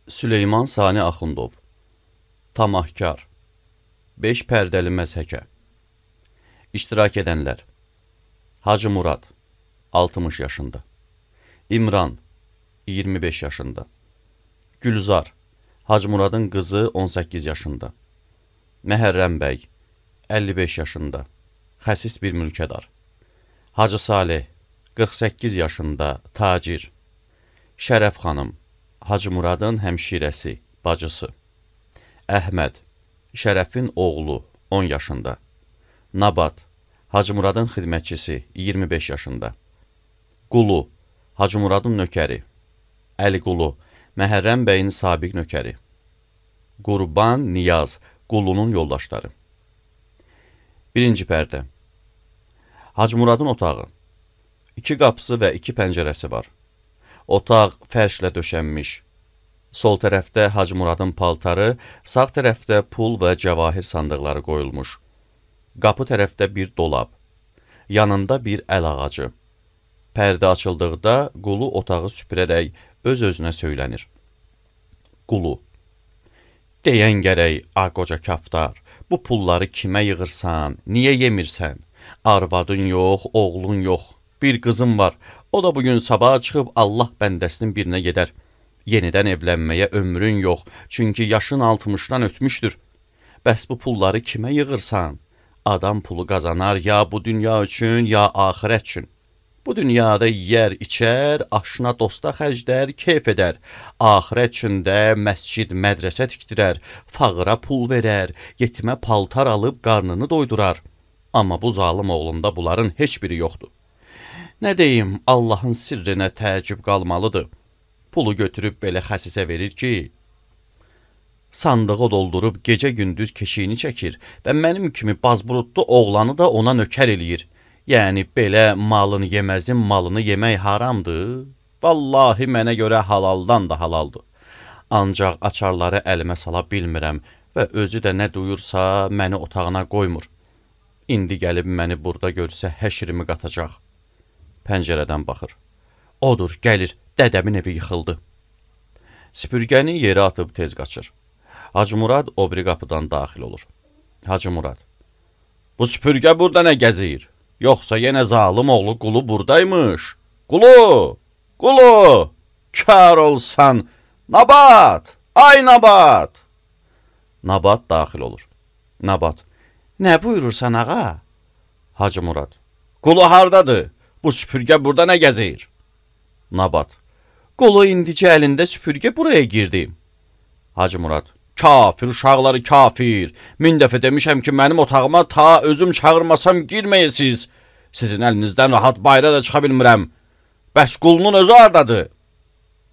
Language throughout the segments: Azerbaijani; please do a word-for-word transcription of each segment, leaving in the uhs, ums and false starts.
Süleyman Sani Axundov. Tamahkar. beş pərdəli məzhəkə. İştirak edənlər: Hacı Murad, altmış yaşında. İmran, iyirmi beş yaşında. Gülzar, Hacı Muradın qızı, on səkkiz yaşında. Məhərrəm bəy, əlli beş yaşında. Xəsis bir mülkədar. Hacı Salih, qırx səkkiz yaşında, tacir. Şərəf xanım, Hacı Muradın həmşirəsi, bacısı. Əhməd, Şərəfin oğlu, on yaşında. Nabat, Hacı Muradın xidmətçisi, iyirmi beş yaşında. Qulu, Hacı Muradın nökəri. Əli Qulu, Məhərrəm bəyin sabiq nökəri. Qurban, Niyaz, Qulunun yoldaşları. Birinci pərdə. Hacı Muradın otağı. İki qapısı və iki pəncərəsi var. Otaq fərşlə döşənmiş. Sol tərəfdə Hacı Muradın paltarı, sağ tərəfdə pul və cəvahir sandıqları qoyulmuş. Qapı tərəfdə bir dolab. Yanında bir əl ağacı. Pərdə açıldıqda Qulu otağı süpürərək öz-özünə söylənir. Qulu: Deyən gərək, a qoca kaftar, bu pulları kimə yığırsan, niyə yemirsən? Arvadın yox, oğlun yox. Bir qızım var, o da bugün sabah çıxıb Allah bəndəsinin birinə gedər. Yenidən evlənməyə ömrün yox, çünki yaşın altmışdan ötmüşdür. Bəs bu pulları kimə yığırsan? Adam pulu qazanar ya bu dünya üçün, ya axirət üçün. Bu dünyada yiyər, içər, aşına dosta xərclər, keyf edər. Axirət üçün də məscid, mədrəsə tikdirər, fağıra pul verər, yetimə paltar alıb qarnını doydurar. Amma bu zalım oğlunda bunların heç biri yoxdur. Nə deyim, Allahın sirrinə təəccüb qalmalıdır. Pulu götürüb belə xəsisə verir ki, sandığı doldurub gecə-gündüz keşiyini çəkir və mənim kimi bazburutlu oğlanı da ona nökər eləyir. Yəni, belə malın yeməzin malını yemək haramdır. Vallahi mənə görə halaldan da halaldır. Ancaq açarları əlimə sala bilmirəm və özü də nə duyursa məni otağına qoymur. İndi gəlib məni burada görsə həşrimi qatacaq. Pəncərədən baxır. Odur, gəlir, dədəmin evi yıxıldı. Süpürgəni yerə atıb tez qaçır. Hacı Murad o biri qapıdan daxil olur. Hacı Murad: Bu süpürgə burada nə gəzir? Yoxsa yenə zalım oğlu Qulu buradaymış. Qulu! Qulu! Kar olsan! Nabat! Ay Nabat! Nabat daxil olur. Nabat: Nə buyurursan ağa? Hacı Murad: Qulu hardadır? Bu süpürgə burada nə gəzir? Nabat: Qulu indicə əlində süpürgə buraya girdi. Hacı Murad: Kafir uşaqları kafir. Min dəfə demişəm ki, mənim otağıma ta özüm çağırmasam girməyəsiz. Sizin əlinizdən rahat bayra da çıxa bilmirəm. Bəs Qulunun özü hardadır?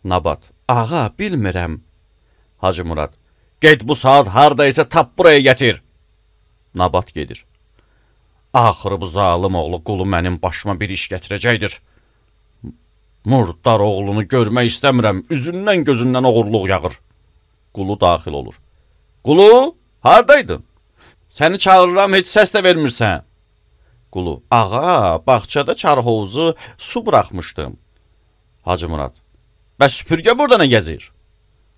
Nabat: Ağa, bilmirəm. Hacı Murad: Get bu saat hardaysa tap buraya gətir. Nabat gedir. Axırı bu zalım oğlu Qulu mənim başıma bir iş gətirəcəkdir. Murdar oğlunu görmək istəmirəm. Üzündən gözündən oğurluq yağır. Qulu daxil olur. Qulu, hardaydın? Səni çağırıram, heç səs də vermirsən. Qulu: Ağa, bağçada çarhovuzu su buraxmışdım. Hacı Murad: Bəs süpürgə burada nə gəzir?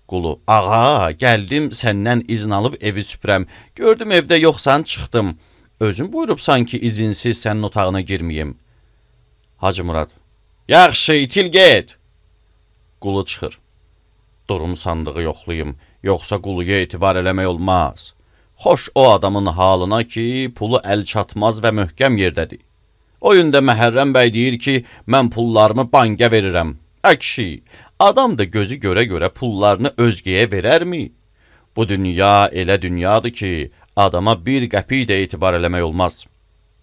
Qulu: Ağa, gəldim səndən izin alıb evi süpürəm. Gördüm evdə yoxsan, çıxdım. Özün buyurubsan ki, izinsiz sənin otağına girməyim. Hacı Murad: Yaxşı, itil get. Qulu çıxır. Durum sandığı yoxlayım, yoxsa Quluya etibar eləmək olmaz. Xoş o adamın halına ki, pulu əl çatmaz və möhkəm yerdədir. O yündə Məhərrəm bəy deyir ki, mən pullarımı bankə verirəm. Ə kişi, adam da gözü görə-görə pullarını özgəyə verərmi? Bu dünya elə dünyadır ki, adama bir qəpik də etibar eləmək olmaz.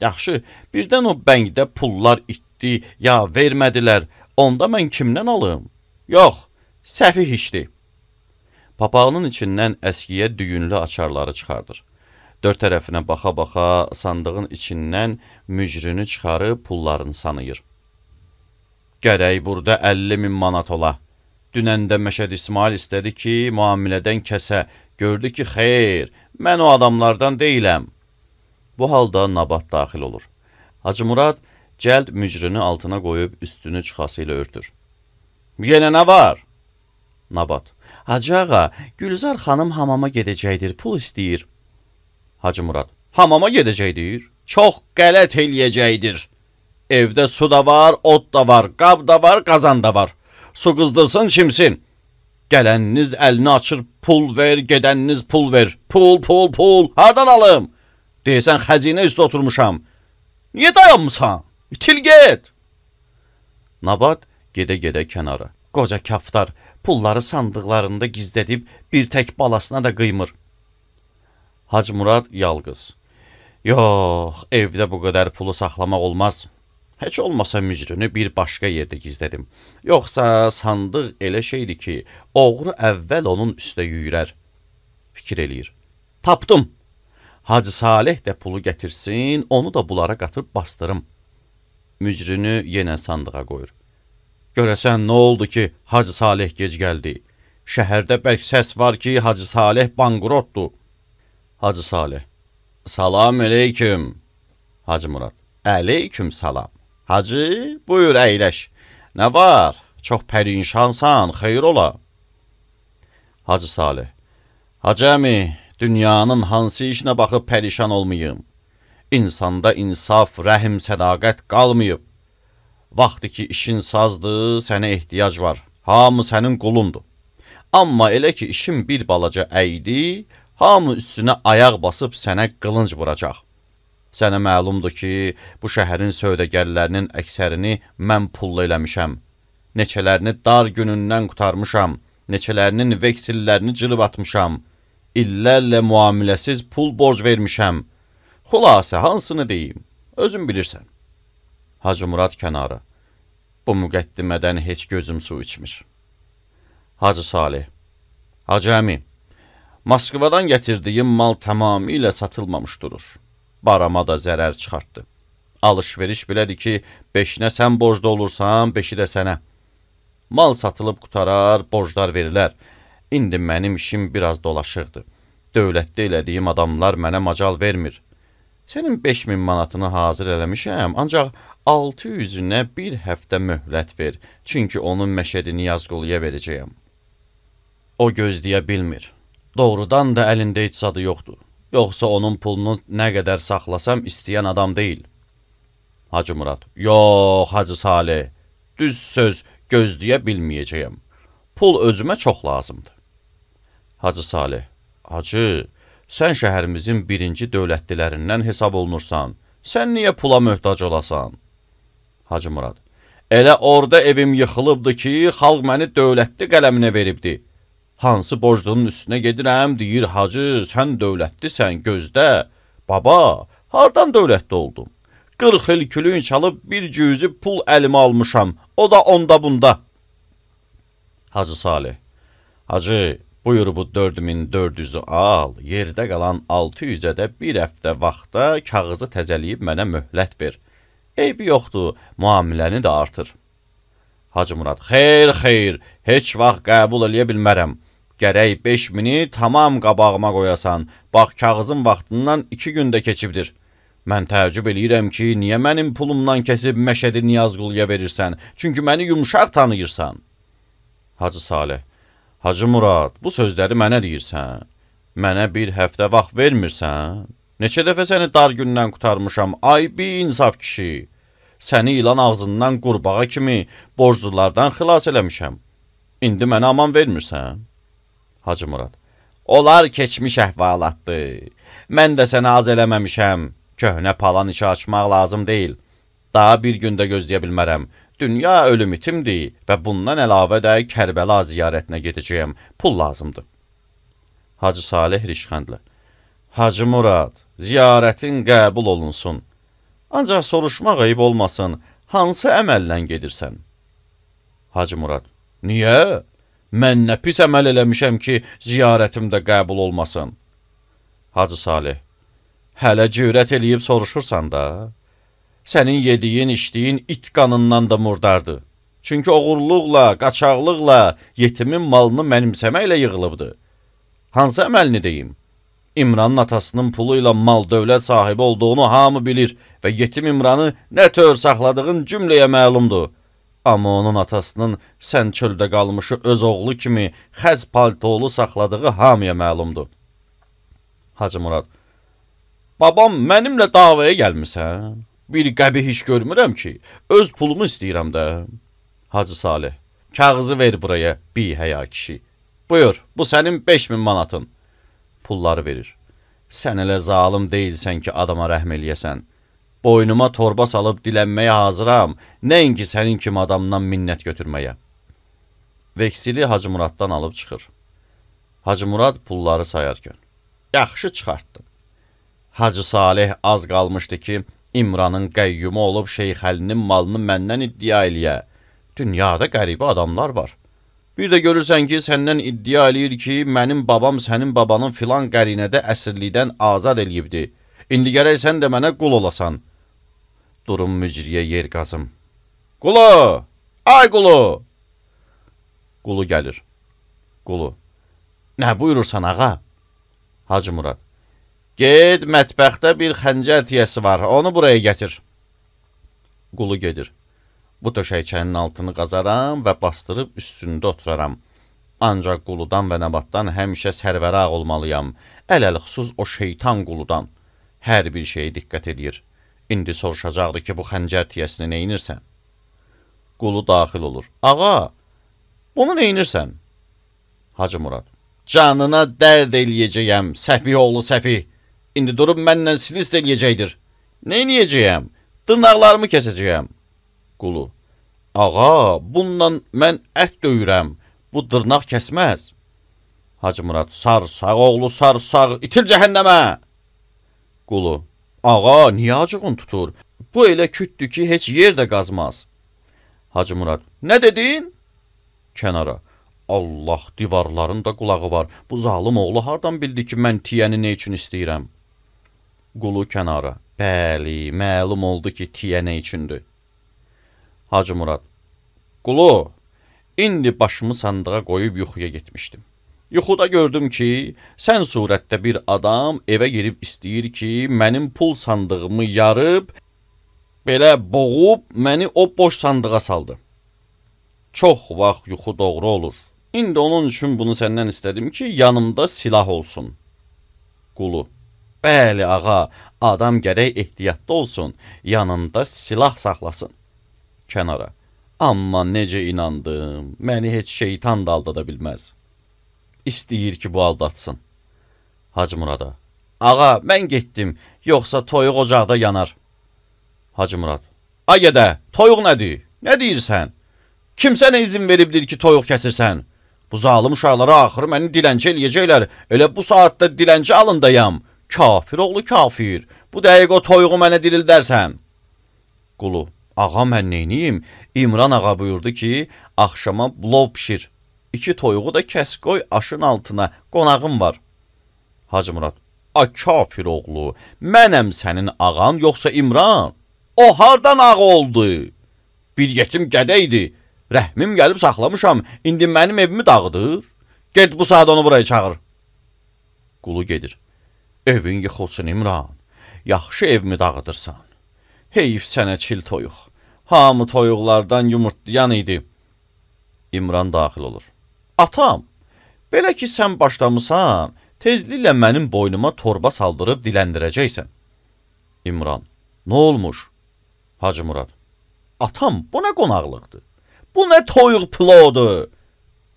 Yaxşı, birdən o bənkdə pullar itdi, ya vermədilər, onda mən kimdən alım? Yox, səfih işdir. Papağının içindən əskiyə düyünlü açarları çıxardır. Dörd tərəfinə baxa-baxa sandığın içindən mücrünü çıxarıb pullarını sanıyır. Gərək burada əlli min manat ola. Dünəndə Məşəd İsmail istədi ki, müamilədən kəsə. Gördü ki, xeyr, mən o adamlardan deyiləm. Bu halda Nabat daxil olur. Hacı Murad cəld mücrünü altına qoyub üstünü çıxası ilə örtür. Yenə nə var? Nabat: Hacı ağa, Gülzar xanım hamama gedəcəkdir, pul istəyir. Hacı Murad, hamama gedəcəkdir? Çox qələt eləyəcəkdir. Evdə su da var, ot da var, qab da var, qazan da var. Su qızdırsın, çimsin. Gələniniz əlini açır, pul ver, gedəniniz pul ver. Pul, pul, pul, hardan alım? Deyəsən, xəzinə üstə oturmuşam. Niyə dayanmısan? İtil get. Nabat gedə-gedə kənara. Qoca kaftar pulları sandıqlarında gizlədib bir tək balasına da qıymır. Hacı Murad yalqız. Yox, evdə bu qədər pulu saxlamaq olmaz. Heç olmasa mücrünü bir başqa yerdə gizlədim. Yoxsa sandıq elə şeydir ki, oğru əvvəl onun üstə yüyürər. Fikir eləyir. Tapdım. Hacı Salih də pulu gətirsin, onu da bunlara qatıb bastırım. Mücrünü yenə sandığa qoyur. Görəsən, nə oldu ki, Hacı Salih gec gəldi? Şəhərdə bəlk səs var ki, Hacı Salih banqrotdur. Hacı Salih. Salam əleyküm. Hacı Murad. Əleyküm salam. Hacı, buyur əyləş. Nə var? Çox pərinşansan, xeyr ola. Hacı Salih. Hacı əmi, dünyanın hansı işinə baxıb pərişan olmayım? İnsanda insaf, rəhim, sədaqət qalmayıb. Vaxtı ki, işin sazdır, sənə ehtiyac var. Hamı sənin qulundur. Amma elə ki, işin bir balaca əydi, hamı üstünə ayaq basıb sənə qılınc vuracaq. Sənə məlumdur ki, bu şəhərin sövdəgərlərinin əksərini mən pulla eləmişəm. Neçələrini dar günündən qutarmışam, neçələrinin veksillərini cırıb atmışam. İllərlə müamiləsiz pul borc vermişəm. Xülasə, hansını deyim? Özün bilirsən. Hacı Murad kənara. Bu müqəddimədən heç gözüm su içmir. Hacı Salih. Hacı əmi, Moskvadan gətirdiyim mal tamamilə satılmamış durur. Barama da zərər çıxartdı. Alış-veriş belədir ki, beşinə sən borcda olursan, beşi də sənə. Mal satılıb qutarar, borclar verilər. İndi mənim işim biraz dolaşıqdır. Dövlətdə elədiyim adamlar mənə macal vermir. Sənin beş min manatını hazır eləmişəm, ancaq altı yüzünə bir həftə möhlət ver, çünki onun məşədini Yazquluya verəcəyəm. O gözləyə bilmir. Doğrudan da əlində heç zadı yoxdur. Yoxsa onun pulunu nə qədər saxlasam istəyən adam deyil. Hacı Murad. Yox, Hacı Salih. Düz söz, gözləyə bilməyəcəyəm. Pul özümə çox lazımdır. Hacı Salih. Hacı, sən şəhərimizin birinci dövlətlilərindən hesab olunursan. Sən niyə pula möhtac olasan? Hacı Murad. Elə orada evim yıxılıbdı ki, xalq məni dövlətli qələminə veribdi. Hansı borclunun üstünə gedirəm, deyir, hacı, sən dövlətlisən, gözdə. Baba, hardan dövlətli oldum? qırx il külün çalıb bir cüzü pul əlimə almışam, o da onda bunda. Hacı Salih. Hacı, buyur bu dörd min dörd yüzü al, yerdə qalan altı yüzə də bir həftə vaxtda kağızı təzəliyib mənə möhlət ver. Eybi yoxdur, muamiləni də artır. Hacı Murad. Xeyr, xeyr, heç vaxt qəbul eləyə bilmərəm. Gərək beş mini tamam qabağıma qoyasan. Bax, kağızın vaxtından iki gündə keçibdir. Mən təəccüb eləyirəm ki, niyə mənim pulumdan kəsib Məşədi Niyazquluya verirsən? Çünki məni yumuşaq tanıyırsan. Hacı Salih. Hacı Murad, bu sözləri mənə deyirsən. Mənə bir həftə vaxt vermirsən. Neçə dəfə səni dar gündən qutarmışam, ay bir insaf kişi. Səni ilan ağzından qurbağa kimi borclulardan xilas eləmişəm. İndi mənə aman vermirsən. Hacı Murad. Onlar keçmiş əhvalatdır. Mən də səni az eləməmişəm. Köhnə palan işi açmaq lazım deyil. Daha bir gündə gözləyə bilmərəm. Dünya ölüm itimdir və bundan əlavə də Kərbəla ziyarətinə gedəcəyəm. Pul lazımdır. Hacı Salih rişxəndlə. Hacı Murad, ziyarətin qəbul olunsun. Ancaq soruşmaq ayıb olmasın, hansı əməllə gedirsən? Hacı Murad. Niyə? Mən nə pis əməl eləmişəm ki, ziyarətimdə qəbul olmasın? Hacı Salih. Hələ cürət eləyib soruşursan da. Sənin yediyin, içdiyin it qanından da murdardır. Çünki oğurluqla, qaçaqlıqla, yetimin malını mənimsəməklə yığılıbdır. Hansı əməlini deyim? İmranın atasının pulu ilə mal dövlət sahibi olduğunu hamı bilir və yetim İmranı nə tör saxladığın cümləyə məlumdur. Amma onun atasının sən çöldə qalmışı öz oğlu kimi xəz paltolu saxladığı hamıya məlumdur. Hacı Murad: Babam, mənimlə davaya gəlmisən? Bir qəbih iş görmürəm ki, öz pulumu istəyirəm də. Hacı Salih: Kağızı ver buraya, bi həya kişi. Buyur, bu sənin beş min manatın. Pulları verir. Sən elə zalım deyilsən ki, adama rəhm eləyəsən. Boynuma torba salıb dilənməyə hazıram, nəinki sənin kimi adamdan minnət götürməyə. Veksili Hacı Muraddan alıb çıxır. Hacı Murad pulları sayarkən: Yaxşı çıxartdın. Hacı Salih az qalmışdı ki, İmranın qəyyumu olub Şeyx Əlinin malını məndən iddia eləyə. Dünyada qəribə adamlar var. Bir də görürsən ki, səndən iddia eləyir ki, mənim babam sənin babanın filan qərinədə əsirlikdən azad eləyibdi. İndi gərək sən də mənə qul olasan. Durum mücriyə yer qazım. Qulu! Ay qulu! Qulu gəlir. Qulu: Nə buyurursan ağa? Hacı Murad: Ged, mətbəxdə bir xəncər tiyəsi var, onu buraya gətir. Qulu gedir. Bu döşəkçənin altını qazaram və bastırıb üstündə oturaram. Ancaq quludan və nəbatdan həmişə sərvəraq olmalıyam. Ələl-xüsus o şeytan quludan. Hər bir şeyə diqqət edir. İndi soruşacaqdı ki, bu xəncər tiyəsini neynirsən? Qulu daxil olur. Ağa, bunu neynirsən? Hacı Murad: Canına dərd eləyəcəyəm, səfih oğlu səfih. İndi durub məndən silist eləyəcəkdir. Neyniyəcəyəm? Dırnaqlarımı kəsəcəyəm. Qulu: Ağa, bundan mən ət döyürəm. Bu dırnaq kəsməz. Hacı Murad: Sarsaq oğlu sarsaq, itir cəhənnəmə. Qulu: Ağa, niyə acığın tutur? Bu elə kütdür ki, heç yer də qazmaz. Hacı Murad: Nə dedin? Kənara: Allah, divarların da qulağı var. Bu zalım oğlu hardan bildi ki, mən tiyəni nə üçün istəyirəm? Qulu kənara: Bəli, məlum oldu ki, tiyə nə üçündür. Hacı Murad: Qulu, indi başımı sandığa qoyub yuxuya getmişdim. Yuxuda gördüm ki, sən surətdə bir adam evə girib istəyir ki, mənim pul sandığımı yarıb, belə boğub, məni o boş sandığa saldı. Çox vaxt yuxu doğru olur. İndi onun üçün bunu səndən istədim ki, yanımda silah olsun. Qulu: Bəli ağa, adam gərək ehtiyatlı olsun, yanında silah saxlasın. Kənara: Amma necə inandım, məni heç şeytan da aldada bilməz. İstəyir ki, bu aldatsın. Hacı Murada: Ağa, mən getdim, yoxsa toyuq ocaqda yanar. Hacı Murad: Ay gədə, toyuq nədir? Nə deyirsən? Kim sənə izin veribdir ki, toyuq kəsirsən? Bu zalım uşaqlara axırı məni dilənçi eləyəcəklər. Elə bu saatda dilənçi alındayam. Kafir oğlu kafir. Bu dəqiq o toyuğu mənə dirildərsən. Qulu: Ağa, mən neyniyim? İmran ağa buyurdu ki, axşama plov pişir. İki toyuğu da kəs qoy aşın altına, qonağım var. Hacı Murad: Ay kafir oğlu, mənəm sənin ağan yoxsa İmran? O hardan ağa oldu? Bir yetim qədəydi. Rəhmim gəlib saxlamışam, indi mənim evimi dağıdır. Get bu saat onu buraya çağır. Qulu gedir. Evin yıxılsın İmran, yaxşı evimi dağıdırsan. Heyf sənə çil toyuq. Hamı toyuqlardan yumurtlayan idi. İmran daxil olur. Atam, belə ki sən başlamısan, tezliklə mənim boynuma torba saldırıb diləndirəcəksən. İmran: Nə olmuş? Hacı Murad: Atam, bu nə qonaqlıqdır? Bu nə toyuq plodu?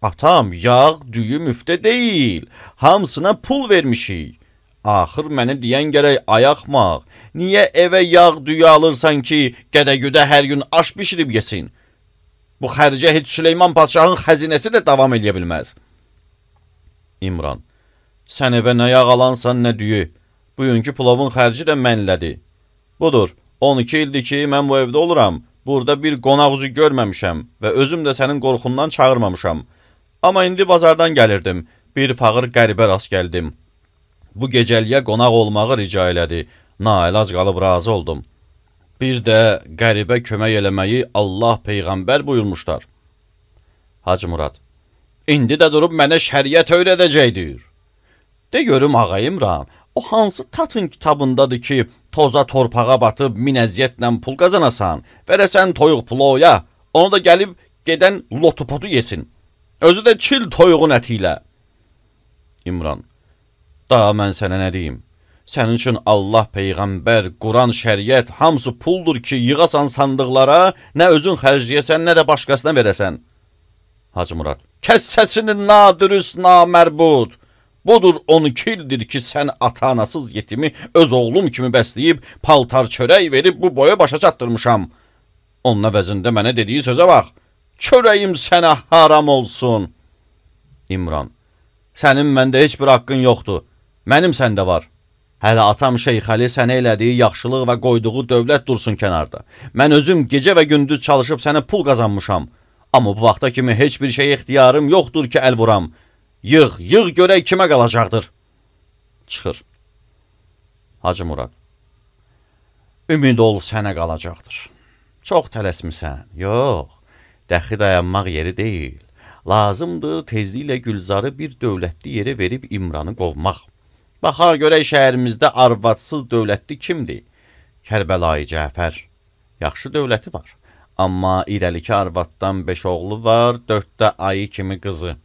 Atam, yağ, düyü müftə deyil. Hamısına pul vermişik. Axır mənə deyən gərək ayaqmaq. Niyə evə yağ, düyü alırsan ki, gədə-güdə hər gün aş bişirib yesin? Bu xərcə heç Süleyman Padşahın xəzinəsi də davam eləyə bilməz. İmran: Sən evə nə yağ alansan, nə düyü. Bugünkü plovun xərci də mənlədir. Budur, on iki ildir ki, mən bu evdə oluram. Burada bir qonaq üzü görməmişəm və özüm də sənin qorxundan çağırmamışam. Amma indi bazardan gəlirdim. Bir fağır qəribə rast gəldim. Bu gecəliyə qonaq olmağı rica elədi. Naəlac qalıb razı oldum. Bir də qəribə kömək eləməyi Allah Peyğəmbər buyurmuşlar. Hacı Murad: İndi də durub mənə şəriət öyrədəcəkdir. De görüm ağa İmran, o hansı tatın kitabındadır ki, toza torpağa batıb min əziyyətlə pul qazanasan, verəsən toyuq ploya, Onu da gəlib gedən lotupotu yesin. Özü də çil toyuğun əti ilə. İmran, daha mən sənə nə deyim? Sənin üçün Allah, Peyğəmbər, Quran, şəriət hamısı puldur ki, yığasan sandıqlara, nə özün xərcləyəsən, nə də başqasına verəsən. Hacı Murad, kəs səsini nadürüst, namərbud. Budur on iki ildir ki, sən ata-anasız yetimi öz oğlum kimi bəsləyib, paltar çörək verib bu boya başa çatdırmışam. Onun əvəzində mənə dediyi sözə bax. Çörəyim sənə haram olsun. İmran, sənin məndə heç bir haqqın yoxdur. Mənim səndə var. Hələ atam Şeyx Əli sənə elədiyi yaxşılıq və qoyduğu dövlət dursun kənarda. Mən özüm gecə və gündüz çalışıb sənə pul qazanmışam. Amma bu vaxta kimi heç bir şey ixtiyarım yoxdur ki, əl vuram. Yığ, yığ görək kimə qalacaqdır. Çıxır. Hacı Murad, ümid ol sənə qalacaqdır. Çox tələsmisən. Yox, dəxi dayanmaq yeri deyil. Lazımdır tezliklə Gülzarı bir dövlətli yerə verib İmranı qovmaq. Baxa görək şəhərimizdə arvadsız dövlətli kimdir? Kərbəlayı Cəfər. Yaxşı dövləti var. Amma irəlikə arvaddan beş oğlu var, dörddə ayı kimi qızı.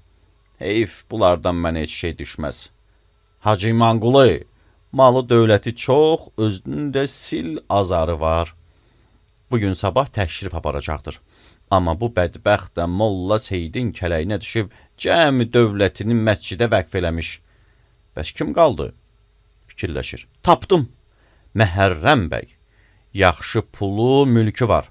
Heyf, bunlardan mənə heç şey düşməz. Hacı İmanqulu, malı dövləti çox, özünün də sil azarı var. Bugün sabah təşrif aparacaqdır. Amma bu bədbəxt də Molla Seydin kələyinə düşüb, cəmi dövlətini məscidə vəqf eləmiş. Bəs kim qaldı? Fikirləşir. Tapdım. Məhərrəm bəy. Yaxşı pulu, mülkü var.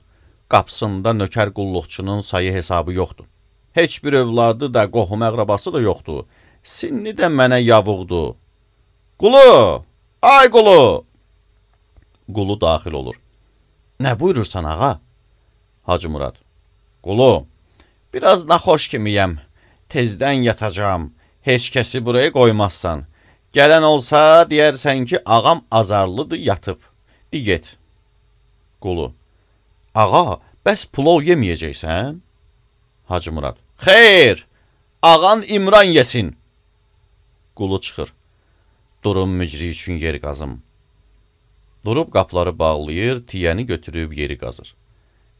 Qapısında nökər qulluqçunun sayı hesabı yoxdur. Heç bir övladı da, qohum əqrabası da yoxdur. Sinni də mənə yavuqdur. Qulu! Ay Qulu! Qulu daxil olur. Nə buyurursan, ağa? Hacı Murad. Qulu, biraz naxoş kimiyəm. Tezdən yatacağım. Heç kəsi buraya qoymazsan. Gələn olsa, deyərsən ki, ağam azarlıdır, yatıb. Di get. Qulu. Ağa, bəs pulov yeməyəcəksən? Hacı Murad. Xeyr, ağan İmran yesin. Qulu çıxır. Durum mücri üçün yer qazım. Durub qapları bağlayır, tiyəni götürüb yeri qazır.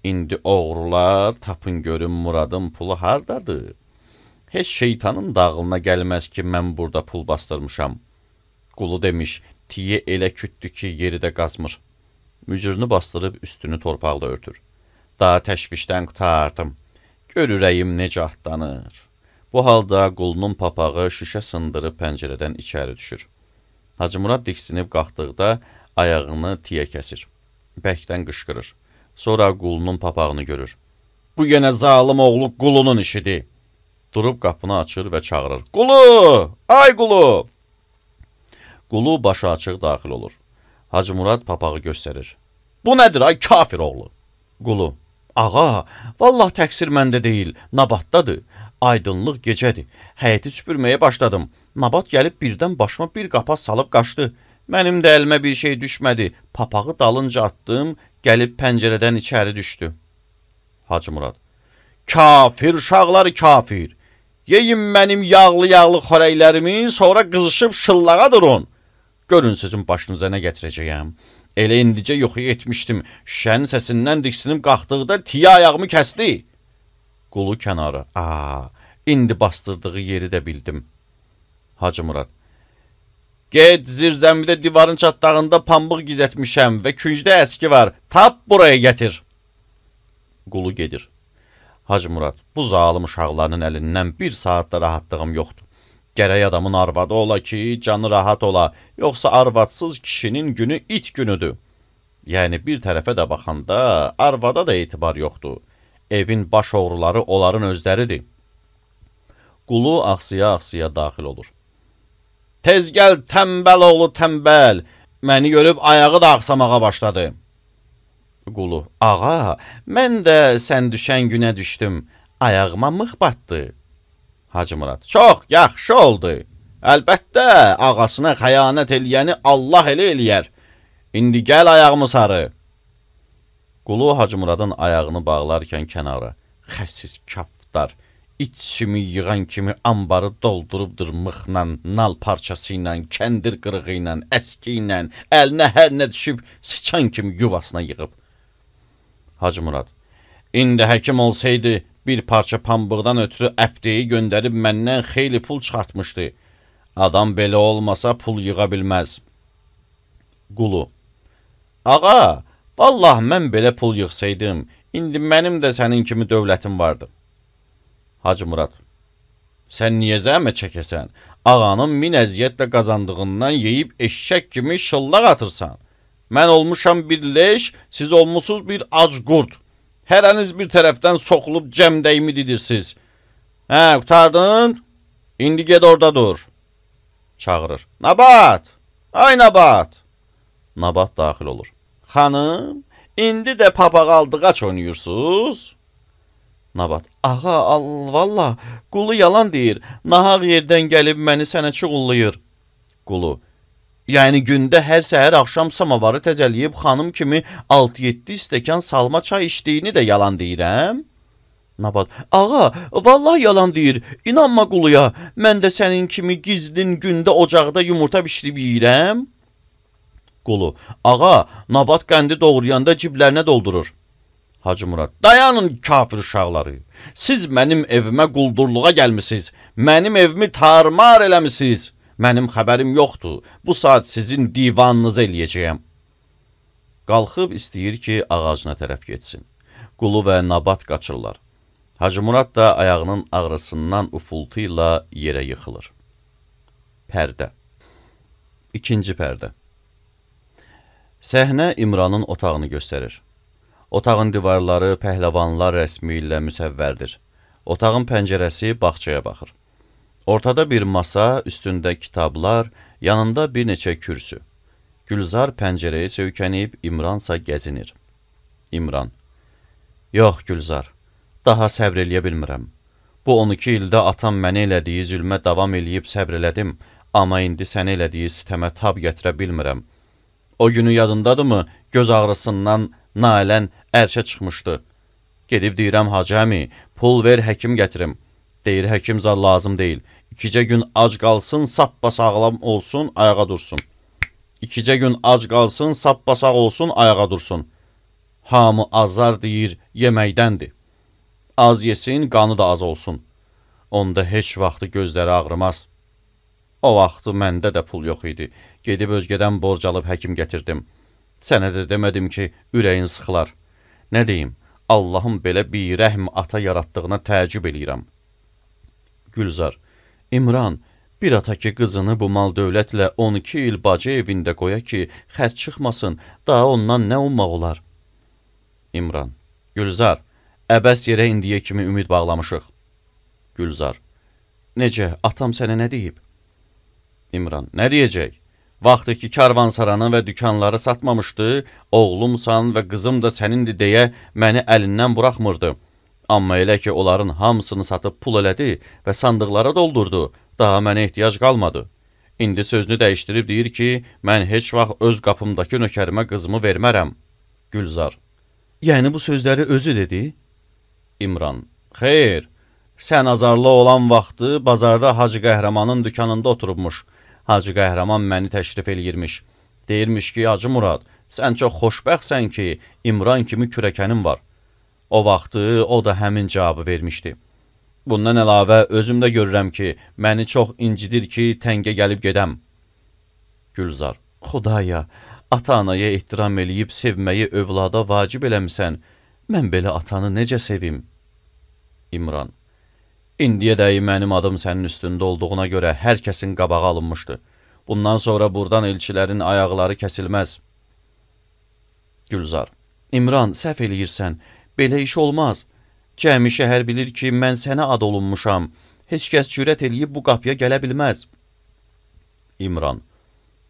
İndi oğrular, tapın görün Muradın pulu hardadır? Heç şeytanın dağılına gəlməz ki, mən burada pul bastırmışam. Qulu demiş, tiyə elə kütdü ki, yeri də qazmır. Mücrünü bastırıb üstünü torpaqla örtür. Daha təşvişdən qutardım. Gör ürəyim necə atlanır. Bu halda Qulunun papağı şüşə sındırıb pəncərədən içəri düşür. Hacı Murad diksinib qalxdıqda ayağını tiyə kəsir. Bəkdən qışqırır. Sonra Qulunun papağını görür. Bu yenə zalım oğlu Qulunun işidir. Durub qapını açır və çağırır. Qulu! Ay Qulu! Qulu başı açıq daxil olur. Hacı Murad papağı göstərir. Bu nədir ay kafir oğlu? Qulu. Ağa, vallah təqsir məndə deyil, Nabatdadır. Aydınlıq gecədir. Həyəti süpürməyə başladım. Nabat gəlib birdən başıma bir qapaz salıb qaçdı. Mənim də əlimə bir şey düşmədi. Papağı dalınca atdım, gəlib pəncərədən içəri düşdü. Hacı Murad. Kafir uşaqlar kafir. Yeyin mənim yağlı-yağlı xörəklərimi, sonra qızışıb şıllağa durun. Görün sizin başınıza nə gətirəcəyəm. Elə indicə yuxuya etmişdim. Şüşənin səsindən diksinib qalxdıqda tiyə ayağımı kəsdi. Qulu kənarı. Aa, indi bastırdığı yeri də bildim. Hacı Murad. Get zirzəmidə divarın çatdağında pambıq gizətmişəm və küncdə əski var. Tap buraya gətir. Qulu gedir. Hacı Murad, bu zalım uşaqlarının əlindən bir saatda rahatlığım yoxdur. Gərək adamın arvadı ola ki, canı rahat ola, yoxsa arvadsız kişinin günü it günüdür. Yəni bir tərəfə də baxanda arvada da etibar yoxdur. Evin baş oğruları onların özləridir. Qulu axsiya-axsiya daxil olur. Tez gəl təmbəl oğlu təmbəl, məni görüb ayağı da axsamağa başladı. Qulu, ağa, mən də sən düşən günə düşdüm, ayağıma mıx batdı. Hacı Murad, çox yaxşı oldu. Əlbəttə, ağasına xəyanət eləyəni Allah elə eləyər. İndi gəl ayağımı sarı. Qulu Hacı Muradın ayağını bağlarkən kənara. Xəssiz kaftar, içimi yığan kimi ambarı doldurubdur mıxla, nal parçası ilə, kəndir qırığı ilə, əski ilə, əlinə hər nə düşüb, sıçan kimi yuvasına yığıb. Hacı Murad, İndi həkim olsaydı, bir parça pambıqdan ötürü əpdeyi göndərib məndən xeyli pul çıxartmışdı. Adam belə olmasa pul yığa bilməz. Qulu: Ağa, vallah mən belə pul yığsaydım, indi mənim də sənin kimi dövlətim vardı. Hacı Murad: Sən niyə zəhmət çəkəsən? Ağanın min əziyyətlə qazandığından yeyib eşşək kimi şıllaq atırsan. Mən olmuşam bir leş, siz olmuşsuz bir ac qurd. Hərəniz bir tərəfdən soxulub cəmdəyimi didirsiniz. Hə, qutardın? İndi ged orada dur. Çağırır. Nabat! Ay Nabat! Nabat daxil olur. Xanım, indi də papağaldıqaç oynayırsınız? Nabat: Ağa, al, valla, Qulu yalan deyir. Nahaq yerdən gəlib məni sənə çuğullayır. Qulu: Yəni gündə hər səhər axşam samavarı təzəliyib xanım kimi altı yeddi stəkan salma çay içdiyini də yalan deyirəm? Nabat: Ağa, vallahi yalan deyir. İnanma Quluya. Mən də sənin kimi gizlin gündə ocaqda yumurta bişirib yeyirəm. Qulu: Ağa, Nabat qəndi doğrayanda ciblərinə doldurur. Hacı Murad: Dayanın kafir uşaqları. Siz mənim evimə quldurluğa gəlmisiniz. Mənim evimi tarmar eləmisiniz. Mənim xəbərim yoxdur. Bu saat sizin divanınızı eləyəcəyəm. Qalxıb istəyir ki, ağacına tərəf getsin. Qulu və Nabat qaçırlar. Hacı Murad da ayağının ağrısından ufultu ilə yerə yıxılır. Pərdə. İkinci pərdə. Səhnə İmranın otağını göstərir. Otağın divarları pəhləvanlar rəsmi ilə müsəvvərdir. Otağın pəncərəsi bağçaya baxır. Ortada bir masa, üstündə kitablar, yanında bir neçə kürsü. Gülzar pəncərəyə söykənib, İmransa gəzinir. İmran: Yox Gülzar, daha səbr eləyə bilmirəm. Bu on iki ildə atam mənə elədiyi zülmə davam eləyib səbr elədim, amma indi sənə elədiyi sitəmə tab gətirə bilmirəm. O günü yadındadırmı, göz ağrısından nailən ərşə çıxmışdı. Gedib deyirəm Hacı əmi, pul ver həkim gətirim. Deyir həkim zad lazım deyil. İkicə gün ac qalsın, sappasağlam olsun, ayağa dursun. İkicə gün ac qalsın, sappasaq olsun, ayağa dursun. Hamı azar deyir, yeməkdəndir. Az yesin, qanı da az olsun. Onda heç vaxtı gözləri ağrımaz. O vaxtı məndə də pul yox idi. Gedib özgədən borc alıb həkim gətirdim. Sənə də demədim ki, ürəyin sıxılar. Nə deyim, Allahın belə bir rəhm ata yaratdığına təəccüb eləyirəm. Gülzar: İmran, bir ata ki qızını bu mal dövlətlə on iki il bacı evində qoya ki, xərc çıxmasın, daha ondan nə ummaq olar? İmran: Gülzar, əbəs yerə indiyə kimi ümid bağlamışıq. Gülzar: Necə, atam sənə nə deyib? İmran: Nə deyəcək? Vaxtı ki karvansaranı və dükanları satmamışdı, oğlumsan və qızım da sənindir deyə məni əlindən buraxmırdı. Amma elə ki onların hamısını satıb pul elədi və sandıqlara doldurdu, daha mənə ehtiyac qalmadı. İndi sözünü dəyişdirib deyir ki, mən heç vaxt öz qapımdakı nökərimə qızımı vermərəm. Gülzar: Yəni bu sözləri özü dedi? İmran: Xeyr, sən azarlı olan vaxtı bazarda Hacı Qəhrəmanın dükanında oturubmuş. Hacı Qəhrəman məni təşrif eləyirmiş. Deyirmiş ki, Hacı Murad, sən çox xoşbəxtsən ki, İmran kimi kürəkənin var. O vaxtı o da həmin cavabı vermişdi. Bundan əlavə özümdə görürəm ki, məni çox incidir ki, təngə gəlib gedəm. Gülzar: Xudaya, ata-anaya ehtiram eləyib sevməyi övlada vacib eləmisən. Mən belə atanı necə sevim? İmran: İndiyədək mənim adım sənin üstündə olduğuna görə hər kəsin qabağı alınmışdı. Bundan sonra buradan elçilərin ayaqları kəsilməz. Gülzar: İmran, səhv eləyirsən. Belə iş olmaz. Cəmi şəhər bilir ki, mən sənə ad olunmuşam. Heç kəs cürət eləyib bu qapıya gələ bilməz. İmran: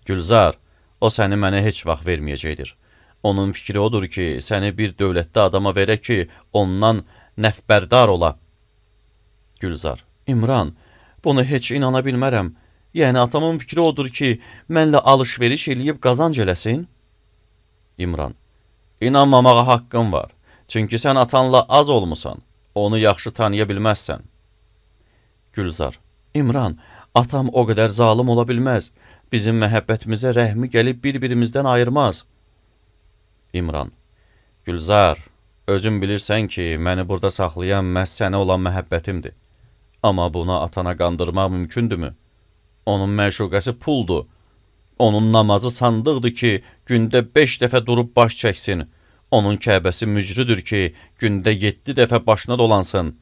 Gülzar, o səni mənə heç vaxt verməyəcəkdir. Onun fikri odur ki, səni bir dövlətdə adama verə ki, ondan nəfbərdar ola. Gülzar: İmran, bunu heç inana bilmərəm. Yəni atamın fikri odur ki, mənlə alış-veriş eləyib qazanc eləsin? İmran: İnanmamağa haqqın var. Çünki sən atanla az olmusan, onu yaxşı tanıya bilməzsən. Gülzar: İmran, atam o qədər zalım ola bilməz. Bizim məhəbbətimizə rəhmi gəlib bir-birimizdən ayırmaz. İmran: Gülzar, Özün bilirsən ki, məni burada saxlayan məhz sənə olan məhəbbətimdir. Amma buna atana qandırmaq mümkündürmü? Onun məşuqəsi puldur. Onun namazı sandıqdır ki, gündə beş dəfə durub baş çəksin. Onun kəbəsi mücrüdür ki, gündə yeddi dəfə başına dolansın.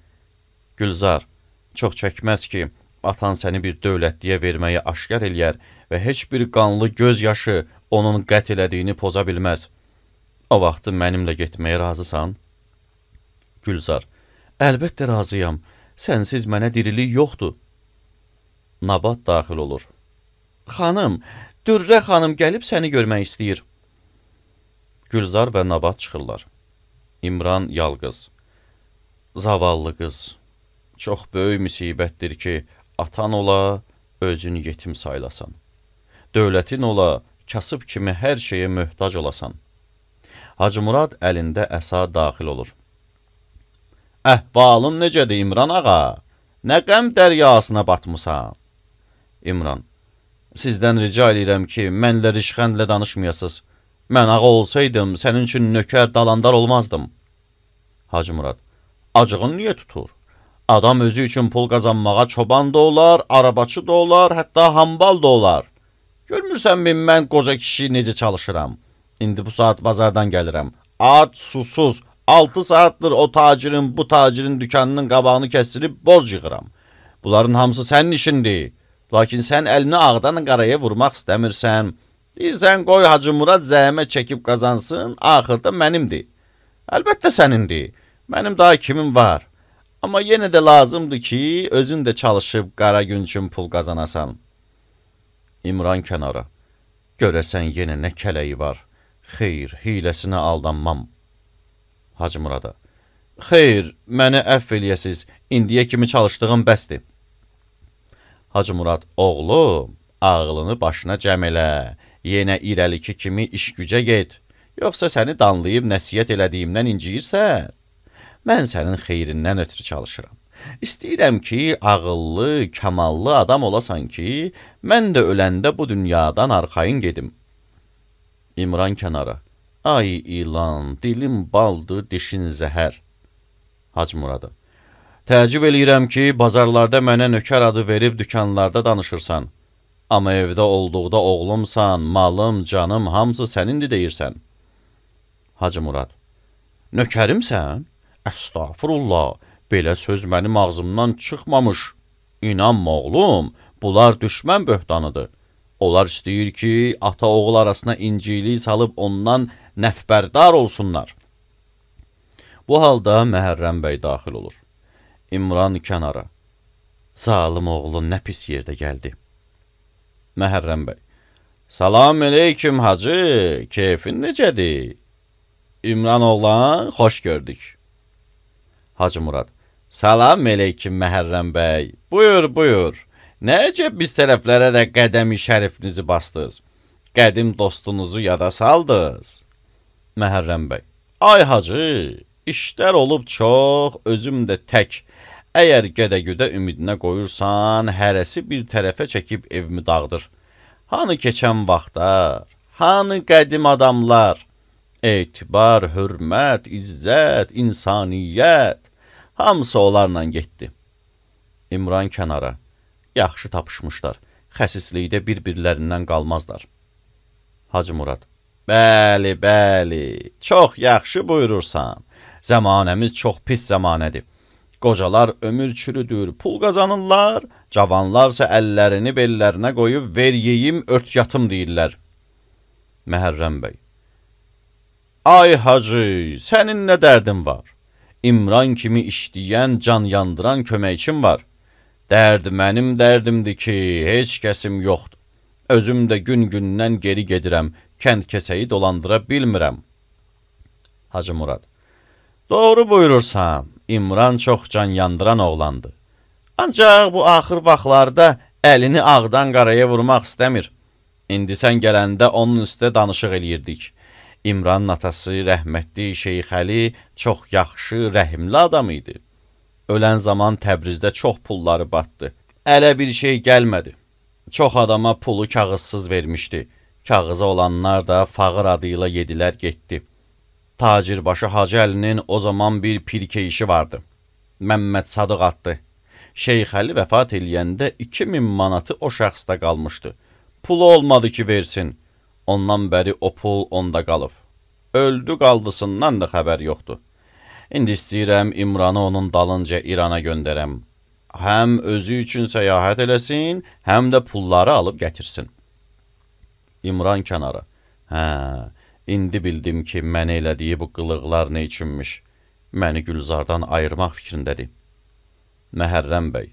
Gülzar, çox çəkməz ki, atan səni bir dövlətliyə verməyi aşkar eləyər və heç bir qanlı göz yaşı onun qət elədiyini poza bilməz. O vaxtı mənimlə getməyə razısan? Gülzar, əlbəttə razıyam. Sənsiz mənə dirilik yoxdur. Nabat daxil olur. Xanım, Dürrə xanım gəlib səni görmək istəyir. Gülzar və Nabat çıxırlar. İmran yalqız. Zavallı qız. Çox böyük müsibətdir ki, atan ola, özünü yetim saylasan. Dövlətin ola, kasıb kimi hər şeyə möhtac olasan. Hacı Murad əlində əsa daxil olur. Əhvalın necədir İmran ağa? Nə qəm dəryasına batmısan? İmran, sizdən rica edirəm ki, mənlə rişxəndlə danışmayasız. Mən ağa olsaydım, sənin üçün nökər dalandar olmazdım. Hacı Murad, acığın niyə tutur? Adam özü üçün pul qazanmağa çoban da olar, arabaçı da olar, hətta hambal da olar. Görmürsənmi mən qoca kişi necə çalışıram? İndi bu saat bazardan gəlirəm. Ac, susuz, altı saatdır o tacirin, bu tacirin dükanının qabağını kəstirib boz yığıram. Bunların hamısı sənin işindir. Lakin sən əlini ağdan qaraya vurmaq istəmirsən. Deyirsən, qoy Hacı Murad zəhmət çəkib qazansın, axırda mənimdir. Əlbəttə sənindir. Mənim daha kimim var? Amma yenə də lazımdır ki, özün də çalışıb qara gün üçün pul qazanasan. İmran kənara. Görəsən yenə nə kələyi var? Xeyr, hiləsinə aldanmam. Hacı Murada. Xeyr, məni əfv eləyəsiz. İndiyə kimi çalışdığım bəsdir. Hacı Murad, oğlum, ağlını başına cəm elə. Yenə irəliki kimi iş gücə get. Yoxsa səni danlayıb nəsiyyət elədiyimdən inciyirsən? Mən sənin xeyrindən ötürü çalışıram. İstəyirəm ki, ağıllı, kamallı adam olasan ki, mən də öləndə bu dünyadan arxayın gedim. İmran kənara. Ay ilan, dilim baldır, dişin zəhər. Hacı Murada. Təəccüb eləyirəm ki, bazarlarda mənə nökər adı verib dükanlarda danışırsan. Amma evdə olduqda oğlumsan, malım, canım, hamısı sənindir deyirsən. Hacı Murad. Nökərimsən? Əstağfurullah, belə söz mənim ağzımdan çıxmamış. İnanma oğlum, bunlar düşmən böhtanıdır. Onlar istəyir ki, ata-oğul arasına incilik salıb ondan nəfbərdar olsunlar. Bu halda Məhərrəm bəy daxil olur. İmran kənara. Zalim oğlu nə pis yerdə gəldi. Məhərrəm bəy. Salam aleyküm hacı, keyfin necədir? İmran oğlan, xoş gördük. Hacı Murad. Salam aleyküm Məhərrəm bəy. Buyur, buyur. Necə biz tərəflərə də qədəmi şərifinizi bastınız? Qədim dostunuzu yada saldınız. Məhərrəm bəy. Ay hacı, işlər olub çox, özüm də tək. Əgər gədə-güdə ümidinə qoyursan, hərəsi bir tərəfə çəkib evimi dağıdır. Hanı keçən vaxtlar, hanı qədim adamlar, etibar, hörmət, izzət, insaniyyət, hamısı onlarla getdi. İmran kənara. Yaxşı tapışmışlar. Xəsislikdə bir-birlərindən qalmazlar. Hacı Murad. Bəli, bəli. Çox yaxşı buyurursan. Zəmanəmiz çox pis zəmanədir. Qocalar ömür çürüdür, pul qazanırlar, cavanlarsa əllərini bellərinə qoyub ver yeyim, ört yatım deyirlər. Məhərrəm bəy. Ay hacı, sənin nə dərdin var? İmran kimi işləyən, can yandıran köməkçim var. Dərd mənim dərdimdir ki, heç kəsim yoxdur. Özüm də gün-gündən geri gedirəm, kənd kəsəyi dolandıra bilmirəm. Hacı Murad. Doğru buyurursan, İmran çox can yandıran oğlandı. Ancaq bu axır vaxtlarda əlini ağdan qaraya vurmaq istəmir. İndi sən gələndə onun üstə danışıq eləyirdik. İmranın atası rəhmətli Şeyx Əli çox yaxşı, rəhimli adam idi. Ölən zaman Təbrizdə çox pulları batdı. Ələ bir şey gəlmədi. Çox adama pulu kağızsız vermişdi. Kağıza olanlar da fağır adıyla yedilər getdi. Tacirbaşı Hacı Əlinin o zaman bir pirkə işi vardı. Məmməd Sadıq addı. Şeyx Əli vəfat eləyəndə iki min manatı o şəxsdə qalmışdı. Pulu olmadı ki versin. Ondan bəri o pul onda qalıb. Öldü qaldısından da xəbər yoxdur. İndi istəyirəm İmranı onun dalınca İrana göndərəm. Həm özü üçün səyahət eləsin, həm də pulları alıb gətirsin. İmran kənara. Hə, indi bildim ki, mənə elədiyi bu qılıqlar nə üçünmüş. Məni Gülzardan ayırmaq fikrindədir. Məhərrəm bəy.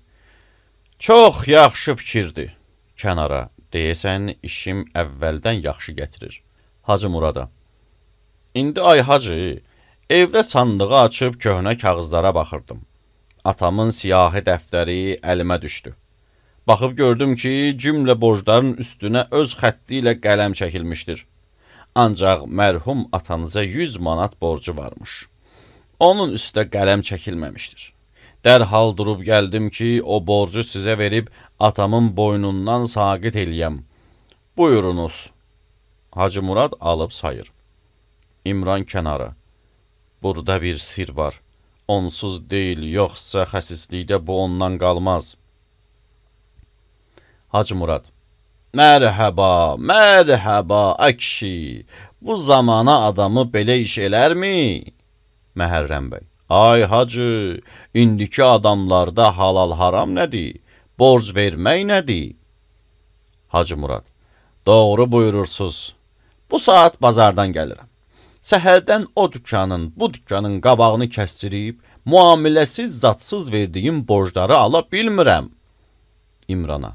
Çox yaxşı fikirdir. Kənara. Deyəsən, işim əvvəldən yaxşı gətirir. Hacı Murada. İndi ay hacı, evdə sandığı açıb köhnə kağızlara baxırdım. Atamın siyahı dəftəri əlimə düşdü. Baxıb gördüm ki, cümlə borcların üstünə öz xətti ilə qələm çəkilmişdir. Ancaq mərhum atanıza yüz manat borcu varmış. Onun üstə qələm çəkilməmişdir. Dərhal durub gəldim ki, o borcu sizə verib atamın boynundan saqit eləyəm. Buyurunuz. Hacı Murad alıb sayır. İmran kənara. Burada bir sir var. Onsuz deyil, yoxsa xəsislikdə bu ondan qalmaz. Hacı Murad. Mərhəba, mərhəba, əkşi. Bu zamana adamı belə iş elərmi? Məhərrəm bəy. Ay hacı, indiki adamlarda halal haram nədir? Borc vermək nədir? Hacı Murad. Doğru buyurursuz. Bu saat bazardan gəlirəm. Səhərdən o dükkanın, bu dükkanın qabağını kəstirib, muamiləsiz, zadsız verdiyim borcları ala bilmirəm. İmrana.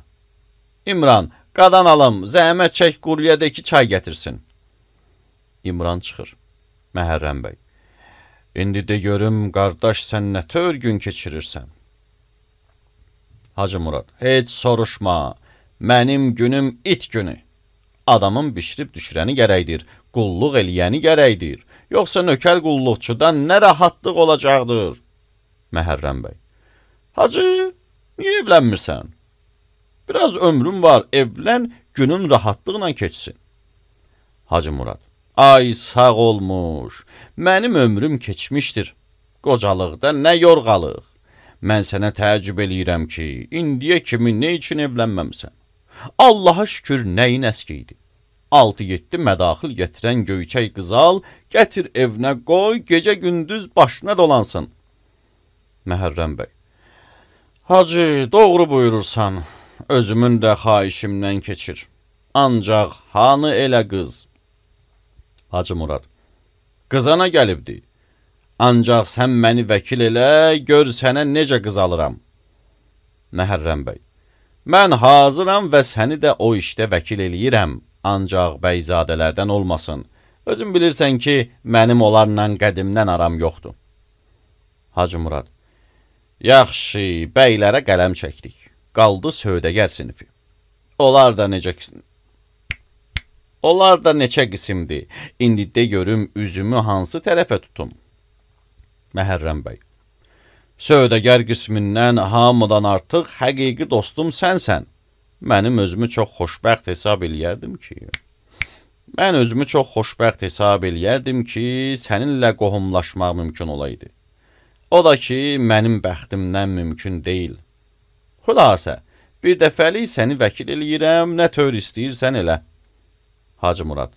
İmran, qadan alım, zəhmət çək quryədəki çay gətirsin. İmran çıxır. Məhərrəm bəy. İndi də görüm, qardaş, sən nə tör gün keçirirsən? Hacı Murad. Heç soruşma, mənim günüm it günü. Adamın bişirib düşürəni gərəkdir, qulluq eləyəni gərəkdir. Yoxsa nökər qulluqçudan nə rahatlıq olacaqdır? Məhərrəm bəy. Hacı, niyə evlənmirsən? Biraz ömrüm var, evlən, günün rahatlıqla keçsin. Hacı Murad. Ay sağ olmuş, mənim ömrüm keçmişdir. Qocalıqda nə yorğalıq. Mən sənə təəccüb eləyirəm ki, indiyə kimi nə üçün evlənməmsən? Allaha şükür nəyin əskiydi. altı yeddi mədaxil gətirən göyçək qızal, gətir evinə qoy, gecə gündüz başına dolansın. Məhərrəm bəy. Hacı, doğru buyurursan, özümün də xahişimdən keçir. Ancaq hanı elə qız? Hacı Murad. Qızana gəlibdi. Ancaq sən məni vəkil elə, gör sənə necə qız alıram. Məhərrəm bəy. Mən hazıram və səni də o işdə vəkil eləyirəm. Ancaq bəyzadələrdən olmasın. Özün bilirsən ki, mənim onlarla qədimdən aram yoxdur. Hacı Murad. Yaxşı, bəylərə qələm çəkdik. Qaldı sövdəgər sinifi. Onlar da necə qism... Onlar da neçə qismdir. İndi də görüm üzümü hansı tərəfə tutum. Məhərrəm bəy. Sövdəgər qismindən hamıdan artıq həqiqi dostum sənsən. Mənim özümü çox xoşbəxt hesab eləyərdim ki, mən özümü çox xoşbəxt hesab eləyərdim ki, səninlə qohumlaşmaq mümkün olaydı. O da ki, mənim bəxtimdən mümkün deyil. Xülasə, bir dəfəlik səni vəkil eləyirəm, nə tör istəyirsən elə. Hacı Murad.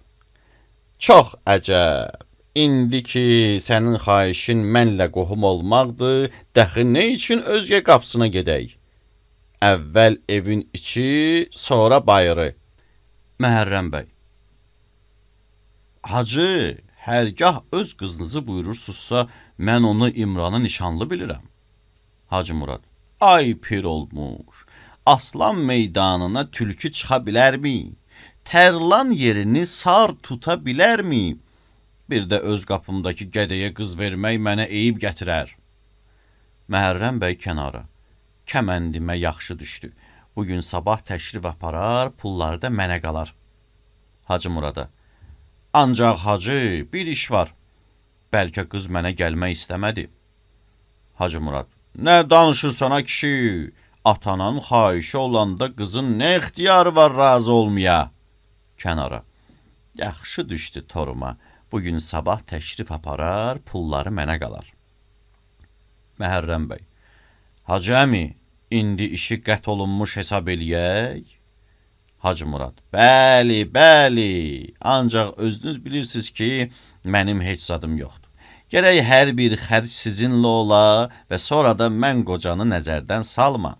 Çox əcəb. İndi ki, sənin xahişin mənlə qohum olmaqdır, dəxi nə üçün özgə qapısına gedək? Əvvəl evin içi, sonra bayırı. Məhərrəm bəy. Hacı, hərgah öz qızınızı buyurursuzsa, mən onu İmranı nişanlı bilirəm. Hacı Murad. Ay pir olmuş. Aslan meydanına tülkü çıxa bilərmi? Tərlan yerini sar tuta bilərmi? Bir də öz qapımdakı qədəyə qız vermək mənə eyib gətirər. Məhərrəm bəy kənara. Kəməndimə yaxşı düşdü. Bugün sabah təşrif aparar, pulları da mənə qalar. Hacı Murada. Ancaq hacı, bir iş var. Bəlkə qız mənə gəlmək istəmədi. Hacı Murad. Nə danışırsan ha kişi? Atanın xahişi olanda qızın nə ixtiyarı var razı olmaya? Kənara. Yaxşı düşdü toruma. Bugün sabah təşrif aparar, pulları mənə qalar. Məhərrəm bəy, Hacı əmi, indi işi qət olunmuş hesab eləyək. Hacı Murad, bəli, bəli, ancaq özünüz bilirsiniz ki, mənim heç zadım yoxdur. Gərək hər bir xərc sizinlə ola və sonra da mən qocanı nəzərdən salma.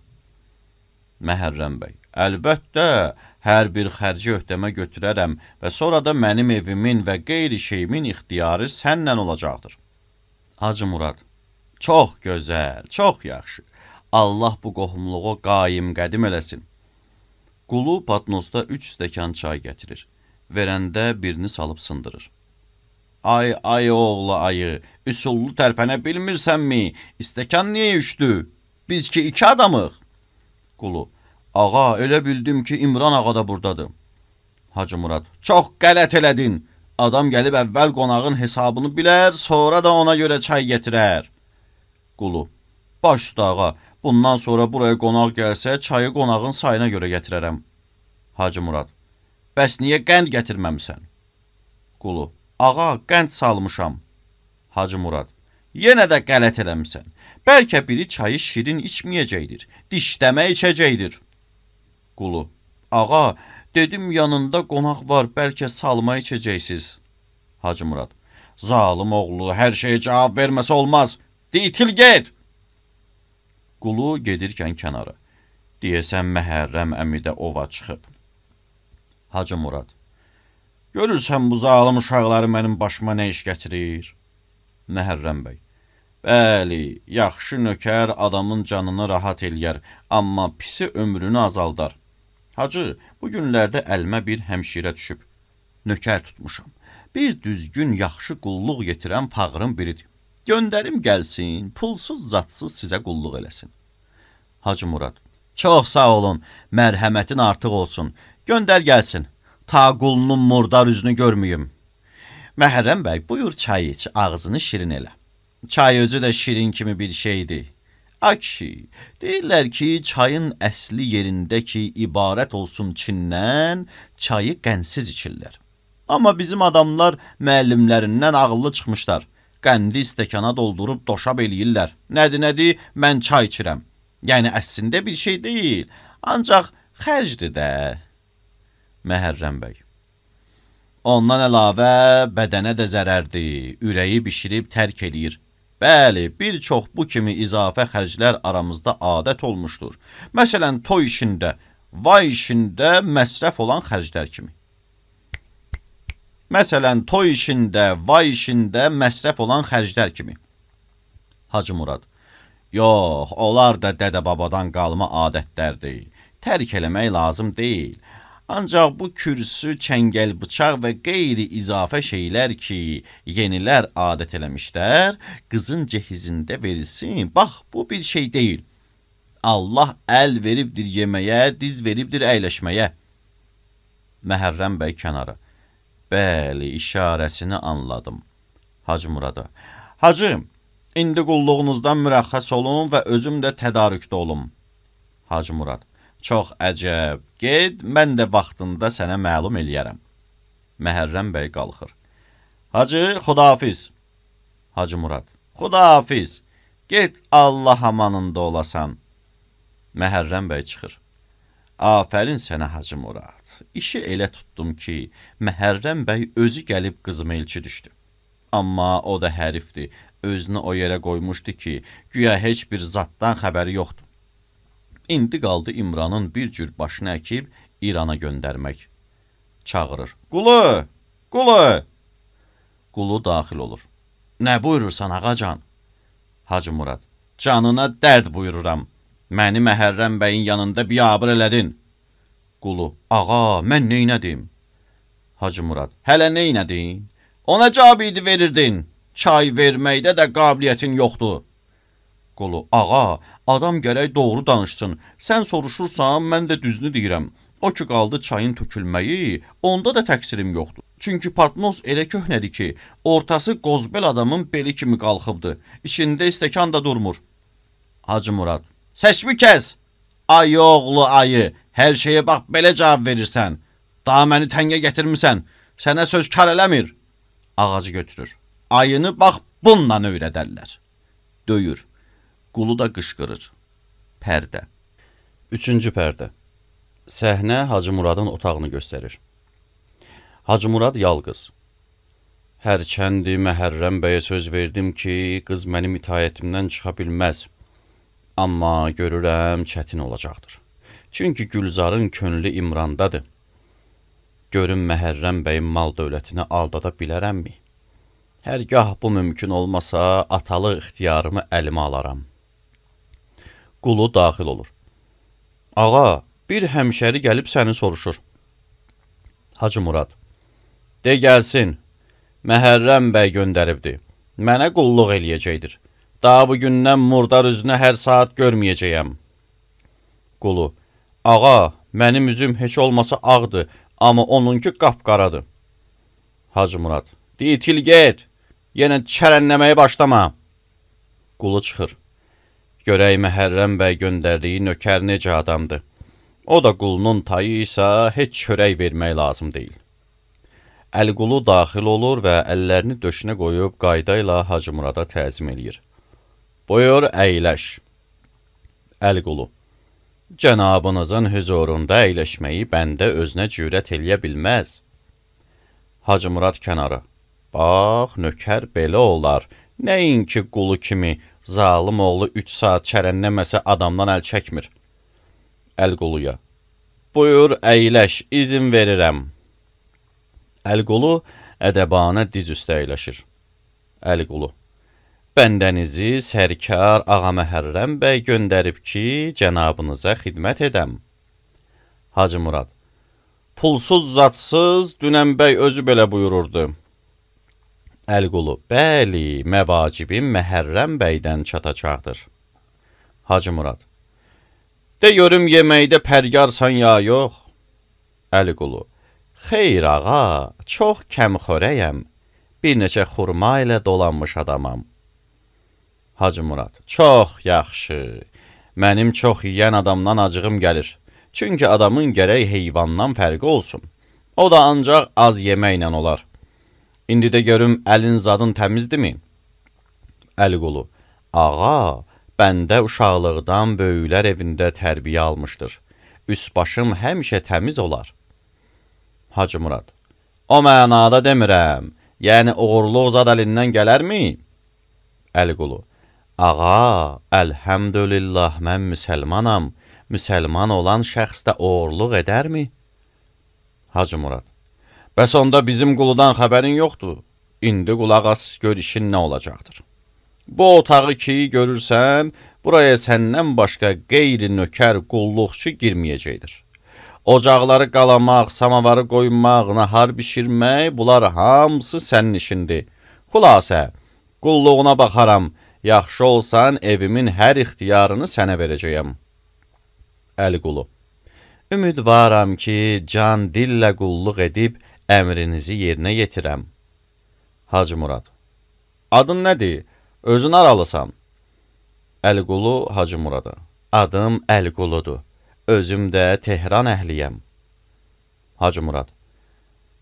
Məhərrəm bəy, əlbəttə, hər bir xərci öhdəmə götürərəm və sonra da mənim evimin və qeyri şeyimin ixtiyarı sənnən olacaqdır. Hacı Murad, çox gözəl, çox yaxşı. Allah bu qohumluğu qaim qədim eləsin. Qulu patnosda üç stəkan çay gətirir. Verəndə birini salıb sındırır. Ay, ay oğlu ayı, üsullu tərpənə bilmirsənmi? İstəkan niyə üçdü? Biz ki iki adamıq. Qulu, ağa, elə bildim ki, İmran ağa da buradadır. Hacı Murad, çox qələt elədin. Adam gəlib əvvəl qonağın hesabını bilər, sonra da ona görə çay gətirər. Qulu, baş üstə ağa, bundan sonra buraya qonaq gəlsə, çayı qonağın sayına görə gətirərəm. Hacı Murad, bəs niyə qənd gətirməmisən? Qulu, ağa, qənd salmışam. Hacı Murad, yenə də qələt eləmisən. Bəlkə biri çayı şirin içməyəcəkdir, dişləmə içəcəkdir. Qulu, ağa, dedim yanında qonaq var, bəlkə salma içəcəksiniz. Hacı Murad, zalım oğlu, hər şeyə cavab verməsə olmaz. Ditil get! Qulu gedirkən kənara. Deyəsən Məhərrəm əmi də ova çıxıb. Hacı Murad, görürsən bu zalım uşaqları mənim başıma nə iş gətirir? Məhərrəm bəy, bəli, yaxşı nökər adamın canını rahat eləyər, amma pisi ömrünü azaldar. Hacı, bu günlərdə əlimə bir həmşirə düşüb. Nökər tutmuşam. Bir düzgün, yaxşı qulluq yetirən fağırın biridir. Göndərim gəlsin, pulsuz, zatsız sizə qulluq eləsin. Hacı Murad, çox sağ olun, mərhəmətin artıq olsun. Göndər gəlsin, ta qulunun murdar üzünü görməyim. Məhərrəm bəy, buyur çay iç, ağzını şirin elə. Çay özü də şirin kimi bir şeydir. Ay kişi, deyirlər ki, çayın əsli yerində ki, ibarət olsun Çindən, çayı qənsiz içirlər. Amma bizim adamlar müəllimlərindən ağıllı çıxmışlar. Qəndi stəkana doldurub doşab eləyirlər. Nədir, nədir, mən çay içirəm. Yəni, əslində bir şey deyil, ancaq xərcdir də. Məhərrəm bəy, ondan əlavə bədənə də zərərdir, ürəyi bişirib tərk eləyir. Bəli, bir çox bu kimi izafə xərclər aramızda adət olmuşdur. Məsələn, toy işində, vay işində məsrəf olan xərclər kimi. Məsələn, toy işində, vay işində məsrəf olan xərclər kimi. Hacı Murad, yox, onlar da dədə-babadan qalma adətlərdir. Tərk eləmək lazım deyil. Ancaq bu kürsü, çəngəl, bıçaq və qeyri izafə şeylər ki, yenilər adət eləmişlər, qızın cehizində verilsin. Bax, bu bir şey deyil. Allah əl veribdir yeməyə, diz veribdir əyləşməyə. Məhərrəm bəy kənara. Bəli, işarəsini anladım. Hacı Murada, Hacı, indi qulluğunuzdan mürəxxəs olun və özüm də tədarükdə olum. Hacı Murad, çox əcəb, ged, mən də vaxtında sənə məlum eləyərəm. Məhərrəm bəy qalxır. Hacı, xudafiz. Hacı Murad, xudafiz, ged, Allah amanında olasan. Məhərrəm bəy çıxır. Afərin sənə Hacı Murad. İşi elə tutdum ki, Məhərrəm bəy özü gəlib qızıma elçi düşdü. Amma o da hərifdir, özünü o yerə qoymuşdu ki, güya heç bir zatdan xəbəri yoxdur. İndi qaldı İmranın bir cür başını əkib İrana göndərmək. Çağırır. Qulu, Qulu. Qulu daxil olur. Nə buyurursan ağacan? Hacı Murad, canına dərd buyururam. Məni Məhərrəm bəyin yanında biyabır elədin. Qulu, ağa, mən neynədim? Hacı Murad, hələ neynədin? Ona cavab idi verirdin. Çay verməkdə də qabiliyyətin yoxdur. Qulu, ağa, adam gərək doğru danışsın. Sən soruşursan, mən də düzünü deyirəm. O ki qaldı çayın tökülməyi, onda da təqsirim yoxdur. Çünki patnos elə köhnədir ki, ortası qozbel adamın beli kimi qalxıbdır. İçində istəkan da durmur. Hacı Murad, səsmi kəs! Ay oğlu ayı, hər şeyə bax belə cavab verirsən. Daha məni təngə gətirmirsən, sənə söz kar eləmir. Ağacı götürür. Ayını bax bununla öyrədərlər. Döyür. Qulu da qışqırır. Pərdə. Üçüncü pərdə. Səhnə Hacı Muradın otağını göstərir. Hacı Murad yalqız. Hərçəndi Məhərrəm bəyə söz verdim ki, qız mənim itaətimdən çıxa bilməz. Amma görürəm çətin olacaqdır. Çünki Gülzarın könlü İmrandadır. Görüm Məhərrəm bəyin mal dövlətini aldada bilərəmmi? Hərgah bu mümkün olmasa, atalı ixtiyarımı əlimə alaram. Qulu daxil olur. Ağa, bir həmşəri gəlib səni soruşur. Hacı Murad. De gəlsin. Məhərrəm bəy göndəribdir. Mənə qulluq eləyəcəkdir. Daha bugündən murdar üzünə hər saat görməyəcəyəm. Qulu. Ağa, mənim üzüm heç olmasa ağdır, amma onunki qapqaradır. Hacı Murad. Ditil get. Yenə çərənləməyə başlama. Qulu çıxır. Görək Məhərrəm bəy göndərdiyi nökər necə adamdır. O da qulunun tayı isə heç çörək vermək lazım deyil. Əliqulu daxil olur və əllərini döşünə qoyub qayda ilə Hacı Murada təzim eləyir. Buyur, əyləş. Əliqulu. Cənabınızın hüzurunda əyləşməyi bəndə özünə cürət eləyə bilməz. Hacı Murad kənara. Bax, nökər belə olar. Nəinki qulu kimi zalım oğlu üç saat çərənləməsə adamdan əl çəkmir. Əliquluya. Buyur, əyləş, izin verirəm. Əliqulu ədəbanə diz üstə əyləşir. Əliqulu. Bəndənizi sərkar Ağa Məhərrəm bəy göndərib ki, cənabınıza xidmət edəm. Hacı Murad. Pulsuz zatsız Dünən bəy özü belə buyururdu. Əliqulu. Bəli, məvacibim Məhərrəm bəydən çatacaqdır. Hacı Murad. De görüm yeməkdə pərgarsan ya yox. Əliqulu. Xeyr ağa, çox kəmxörəyəm. Bir neçə xurma ilə dolanmış adamam. Hacı Murad. Çox yaxşı. Mənim çox yiyən adamdan acığım gəlir. Çünki adamın gərək heyvandan fərqi olsun. O da ancaq az yeməklə olar. İndi də görüm əlin zadın təmizdirmi? Əliqulu. Ağa, bəndə uşaqlıqdan böyüklər evində tərbiyə almışdır. Üst başım həmişə təmiz olar. Hacı Murad. O mənada demirəm. Yəni uğurluq zad əlindən gələrmi? Əliqulu. Ağa, əlhəmdülillah mən müsəlmanam. Müsəlman olan şəxs də uğurluq edərmi? Hacı Murad. Bəs onda bizim quludan xəbərin yoxdur. İndi qulaq as, gör işin nə olacaqdır. Bu otağı ki görürsən, buraya səndən başqa qeyri nökər qulluqçu girməyəcəkdir. Ocaqları qalamaq, samavarı qoymaq, nahar bişirmək, bunlar hamısı sənin işindir. Xülasə, qulluğuna baxaram, yaxşı olsan evimin hər ixtiyarını sənə verəcəyəm. Əliqulu. Ümidvaram ki, can dillə qulluq edib əmrinizi yerinə yetirəm. Hacı Murad. Adın nədir? Özün aralısan. Əliqulu Hacı Murada. Adım Əliquludur. Özüm də Tehran əhliyəm. Hacı Murad.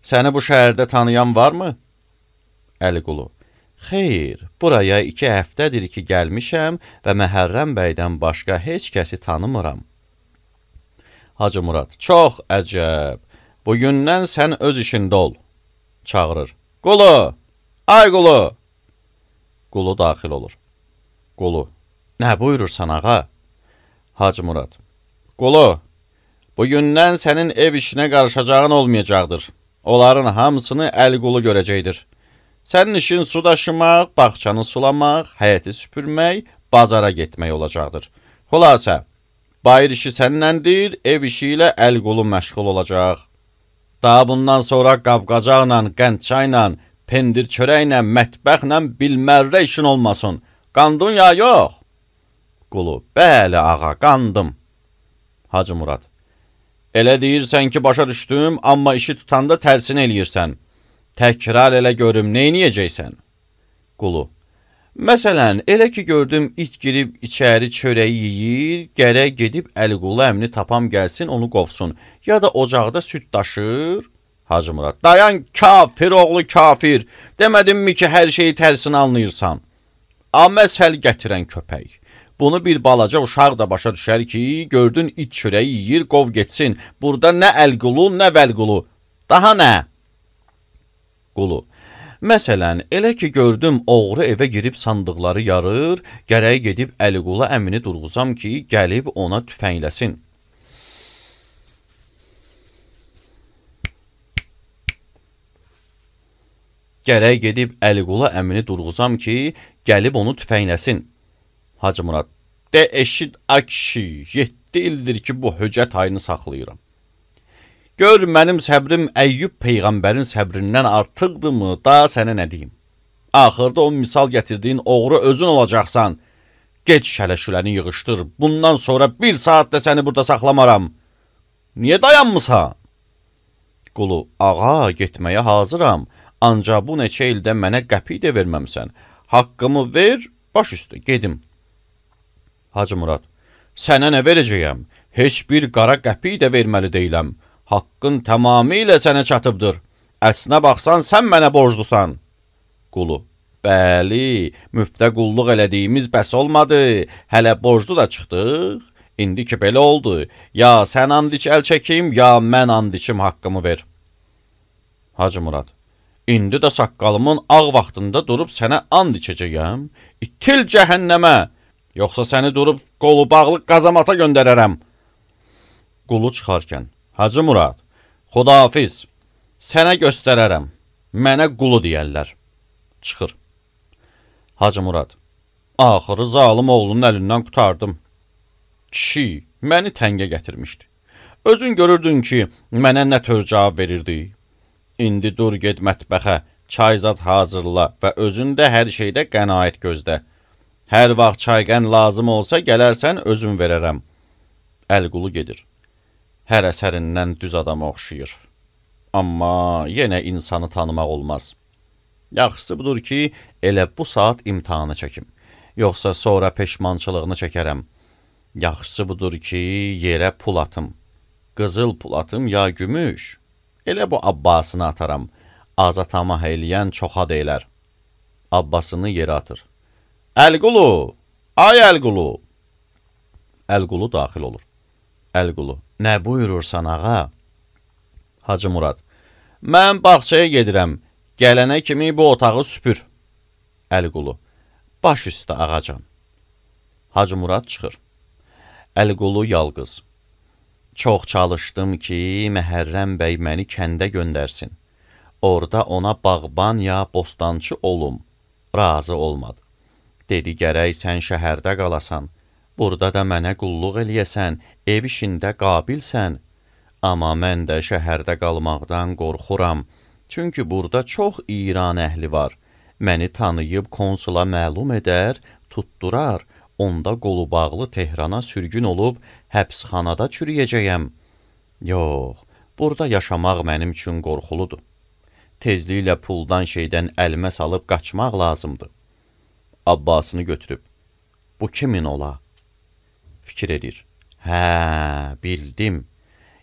Səni bu şəhərdə tanıyan varmı? Əliqulu. Xeyr, buraya iki həftədir ki gəlmişəm və Məhərrəm bəydən başqa heç kəsi tanımıram. Hacı Murad. Çox əcəb. Bugündən sən öz işində ol. Çağırır. Qulu! Ay Qulu! Qulu daxil olur. Qulu. Nə buyurursan ağa? Hacı Murad. Qulu, bugündən sənin ev işinə qarışacağın olmayacaqdır. Onların hamısını Əliqulu görəcəkdir. Sənin işin su daşımaq, bağçanı sulamaq, həyəti süpürmək, bazara getmək olacaqdır. Xülasə, bayır işi səninləndir, ev işi ilə Əliqulu məşğul olacaq. Daha bundan sonra qab-qacaqla, qəndçayla, pendir çörəklə, mətbəxlə bilmərrə işin olmasın. Qandun ya yox? Qulu. Bəli ağa, qandım. Hacı Murad. Elə deyirsən ki, başa düşdüm, amma işi tutanda tərsini eləyirsən. Təkrar elə görüm, neyniyəcəksən? Qulu. Məsələn, elə ki gördüm, it girib içəri çörəyi yiyir, gərək gedib Əliqulu əmni tapam gəlsin, onu qovsun. Ya da ocaqda süd daşır. Hacı Murad, dayan kafir oğlu kafir. Demədimmi ki, hər şeyi tərsinə anlayırsan? Aməsəl gətirən köpək. Bunu bir balaca uşaq da başa düşər ki, gördün iç çörəyi yiyir, qov getsin. Burada nə Əlqulu, nə Vəlqulu. Daha nə? Qulu. Məsələn, elə ki gördüm oğru evə girib sandıqları yarır, gərək gedib Əliqulu əmini durğuzam ki, gəlib ona tüfəngləsin. Gərək gedib Əliqulu əmini durğuzam ki, gəlib onu tüfəngləsin. Hacı Murad, de eşid akşi, yeddi ildir ki, bu höcət ayını saxlayıram. Gör, mənim səbrim Əyyub Peyğəmbərin səbrindən artıqdırmı, da sənə nə deyim? Axırda o misal gətirdiyin oğru özün olacaqsan. Get şələşüləni yığışdır, bundan sonra bir saat da səni burada saxlamaram. Niyə dayanmısan? Qulu, ağa, getməyə hazıram. Ancaq bu neçə ildə mənə qəpik də verməmsən. Haqqımı ver, baş üstə, gedim. Hacı Murad, sənə nə verəcəyəm? Heç bir qara qəpik də verməli deyiləm. Haqqın tamamilə sənə çatıbdır. Əslinə baxsan, sən mənə borclusan. Qulu, bəli, müftə qulluq elədiyimiz bəs olmadı. Hələ borclu da çıxdıq. İndi ki, belə oldu. Ya sən and iç əl çəkim, ya mən and içim haqqımı ver. Hacı Murad, İndi də saqqalımın ağ vaxtında durub sənə and içəcəyəm. İtil cəhənnəmə, yoxsa səni durub qolu bağlı qazamata göndərərəm. Qulu çıxarkən, Hacı Murad, xudafiz, sənə göstərərəm, mənə qulu deyərlər. Çıxır. Hacı Murad, axırı zalım oğlunun əlindən qutardım. Kişi, məni təngə gətirmişdi. Özün görürdün ki, mənə nə tör cavab verirdi. İndi dur ged mətbəxə, çayzad hazırla və özün də hər şeydə qənaət gözlə. Hər vaxt çayqən lazım olsa gələrsən özün verərəm. Əlqulu gedir. Hər əsərindən düz adama oxşuyur. Amma yenə insanı tanımaq olmaz. Yaxşısı budur ki, elə bu saat imtihanı çəkim. Yoxsa sonra peşmançılığını çəkərəm. Yaxşısı budur ki, yerə pul atım. Qızıl pul atım ya gümüş. Elə bu abbasını ataram. Azatama eləyən çoxa deyilər. Abbasını yerə atır. Əlqulu, ay Əlqulu. Əlqulu daxil olur. Əlqulu, nə buyurursan ağa? Hacı Murad, mən bağçaya gedirəm. Gələnə kimi bu otağı süpür. Əlqulu, baş üstə ağacan. Hacı Murad çıxır. Əlqulu yalqız. Çox çalışdım ki, Məhərrəm bəy məni kəndə göndərsin. Orada ona bağban ya bostançı olum. Razı olmadı. Dedi, gərək sən şəhərdə qalasan. Burada da mənə qulluq eləyəsən, ev işində qabilsən. Amma mən də şəhərdə qalmaqdan qorxuram. Çünki burada çox İran əhli var. Məni tanıyıb konsula məlum edər, tutdurar. Onda qolu bağlı Tehrana sürgün olub, həbsxanada çürüyəcəyəm. Yox, burada yaşamaq mənim üçün qorxuludur. Tezliklə puldan şeydən əlimə salıb qaçmaq lazımdır. Abbasını götürüb, bu kimin ola? Fikir edir. Hə, bildim.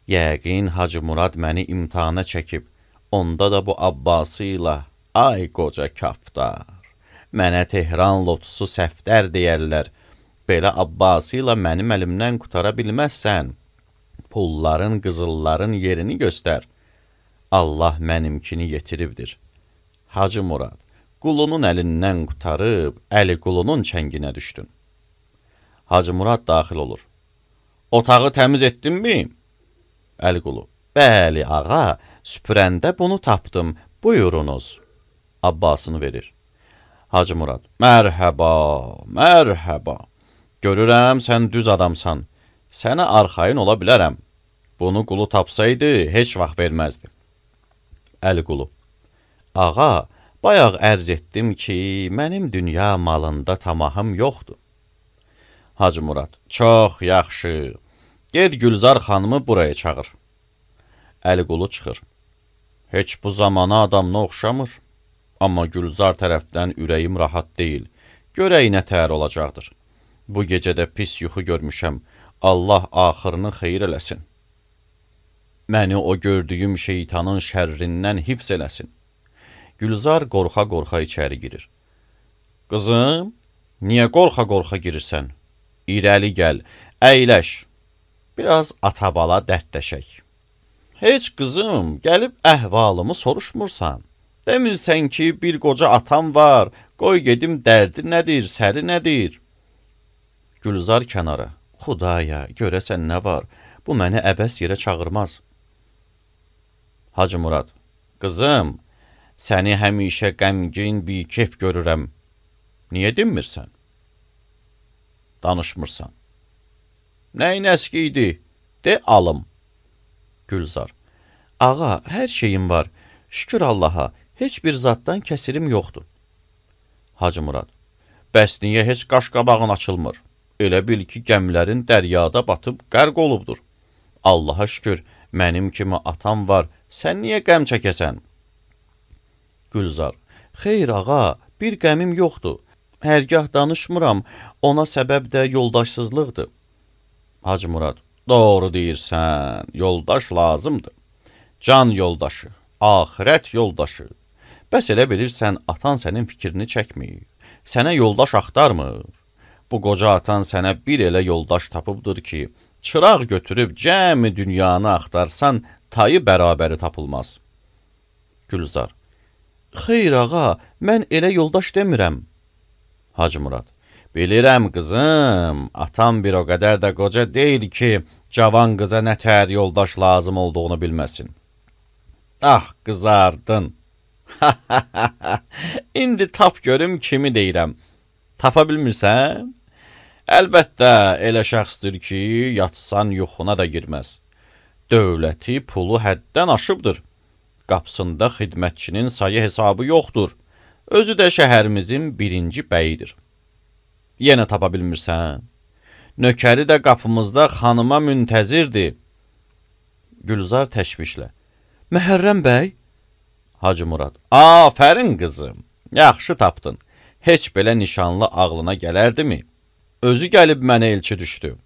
Yəqin Hacı Murad məni imtihana çəkib. Onda da bu Abbası ilə, ay qoca kaftar, mənə Tehran lotusu səftər deyərlər. Belə Abbası ilə mənim əlimdən qutara bilməzsən. Pulların, qızılların yerini göstər. Allah mənimkini yetiribdir. Hacı Murad, qulunun əlindən qutarıb, əli qulunun çənginə düşdün. Hacı Murad daxil olur. Otağı təmiz etdinmi? Əliqulu, bəli ağa, süpürəndə bunu tapdım, buyurunuz. Abbasını verir. Hacı Murad, mərhəba, mərhəba. Görürəm, sən düz adamsan. Sənə arxayın ola bilərəm. Bunu qulu tapsaydı, heç vaxt verməzdi. Əliqulu, ağa, bayaq ərz etdim ki, mənim dünya malında tamahım yoxdur. Hacı Murad, çox yaxşı. Ged Gülzar xanımı buraya çağır. Əliqulu çıxır. Heç bu zamana adamına oxşamır. Amma Gülzar tərəfdən ürəyim rahat deyil. Görək nə təhər olacaqdır. Bu gecədə pis yuxu görmüşəm. Allah axırını xeyir eləsin. Məni o gördüyüm şeytanın şərrindən hifz eləsin. Gülzar qorxa-qorxa içəri girir. Qızım, niyə qorxa-qorxa girirsən? İrəli gəl, əyləş. Biraz atabala dərdləşək. Heç qızım, gəlib əhvalımı soruşmursan. Demirsən ki, bir qoca atam var, qoy gedim dərdi nədir, səri nədir? Gülzar kənara. Xudaya, görəsən nə var? Bu məni əbəs yerə çağırmaz. Hacı Murad. Qızım, səni həmişə qəmgin bir kef görürəm. Niyə dinmirsən? Danışmırsan. Nəyin əski idi? De alım. Gülzar. Ağa, hər şeyim var. Şükür Allaha, heç bir zaddan kəsirim yoxdur. Hacı Murad. Bəs niyə heç qaş-qabağın açılmır? Elə bil ki, gəmlərin dəryada batıb qərq olubdur. Allaha şükür, mənim kimi atam var, sən niyə qəm çəkəsən? Gülzar. Xeyr ağa, bir qəmim yoxdur. Hərgah danışmıram, ona səbəb də yoldaşsızlıqdır. Hacı Murad. Doğru deyirsən, yoldaş lazımdır. Can yoldaşı, axirət yoldaşı. Bəs elə bilirsən, atan sənin fikrini çəkmir. Sənə yoldaş axtarmır. Bu qoca atan sənə bir elə yoldaş tapıbdır ki, çıraq götürüb cəmi dünyanı axtarsan, tayı bərabəri tapılmaz. Gülzar. Xeyr ağa, mən elə yoldaş demirəm. Hacı Murad. Bilirəm qızım, atam bir o qədər də qoca deyil ki, cavan qıza nə tər yoldaş lazım olduğunu bilməsin. Ah, qızardın. İndi tap görüm kimi deyirəm. Tapa bilmirsən? Əlbəttə, elə şəxsdir ki, yatsan yuxuna da girməz. Dövləti, pulu həddən aşıbdır. Qapısında xidmətçinin sayı hesabı yoxdur. Özü də şəhərimizin birinci bəyidir. Yenə tapa bilmirsən? Nökəri də qapımızda xanıma müntəzirdir. Gülzar təşvişlə. Məhərrəm bəy? Hacı Murad. Afərin qızım, yaxşı tapdın. Heç belə nişanlı ağlına gələrdimi? Özü gəlib mənə elçi düşdü.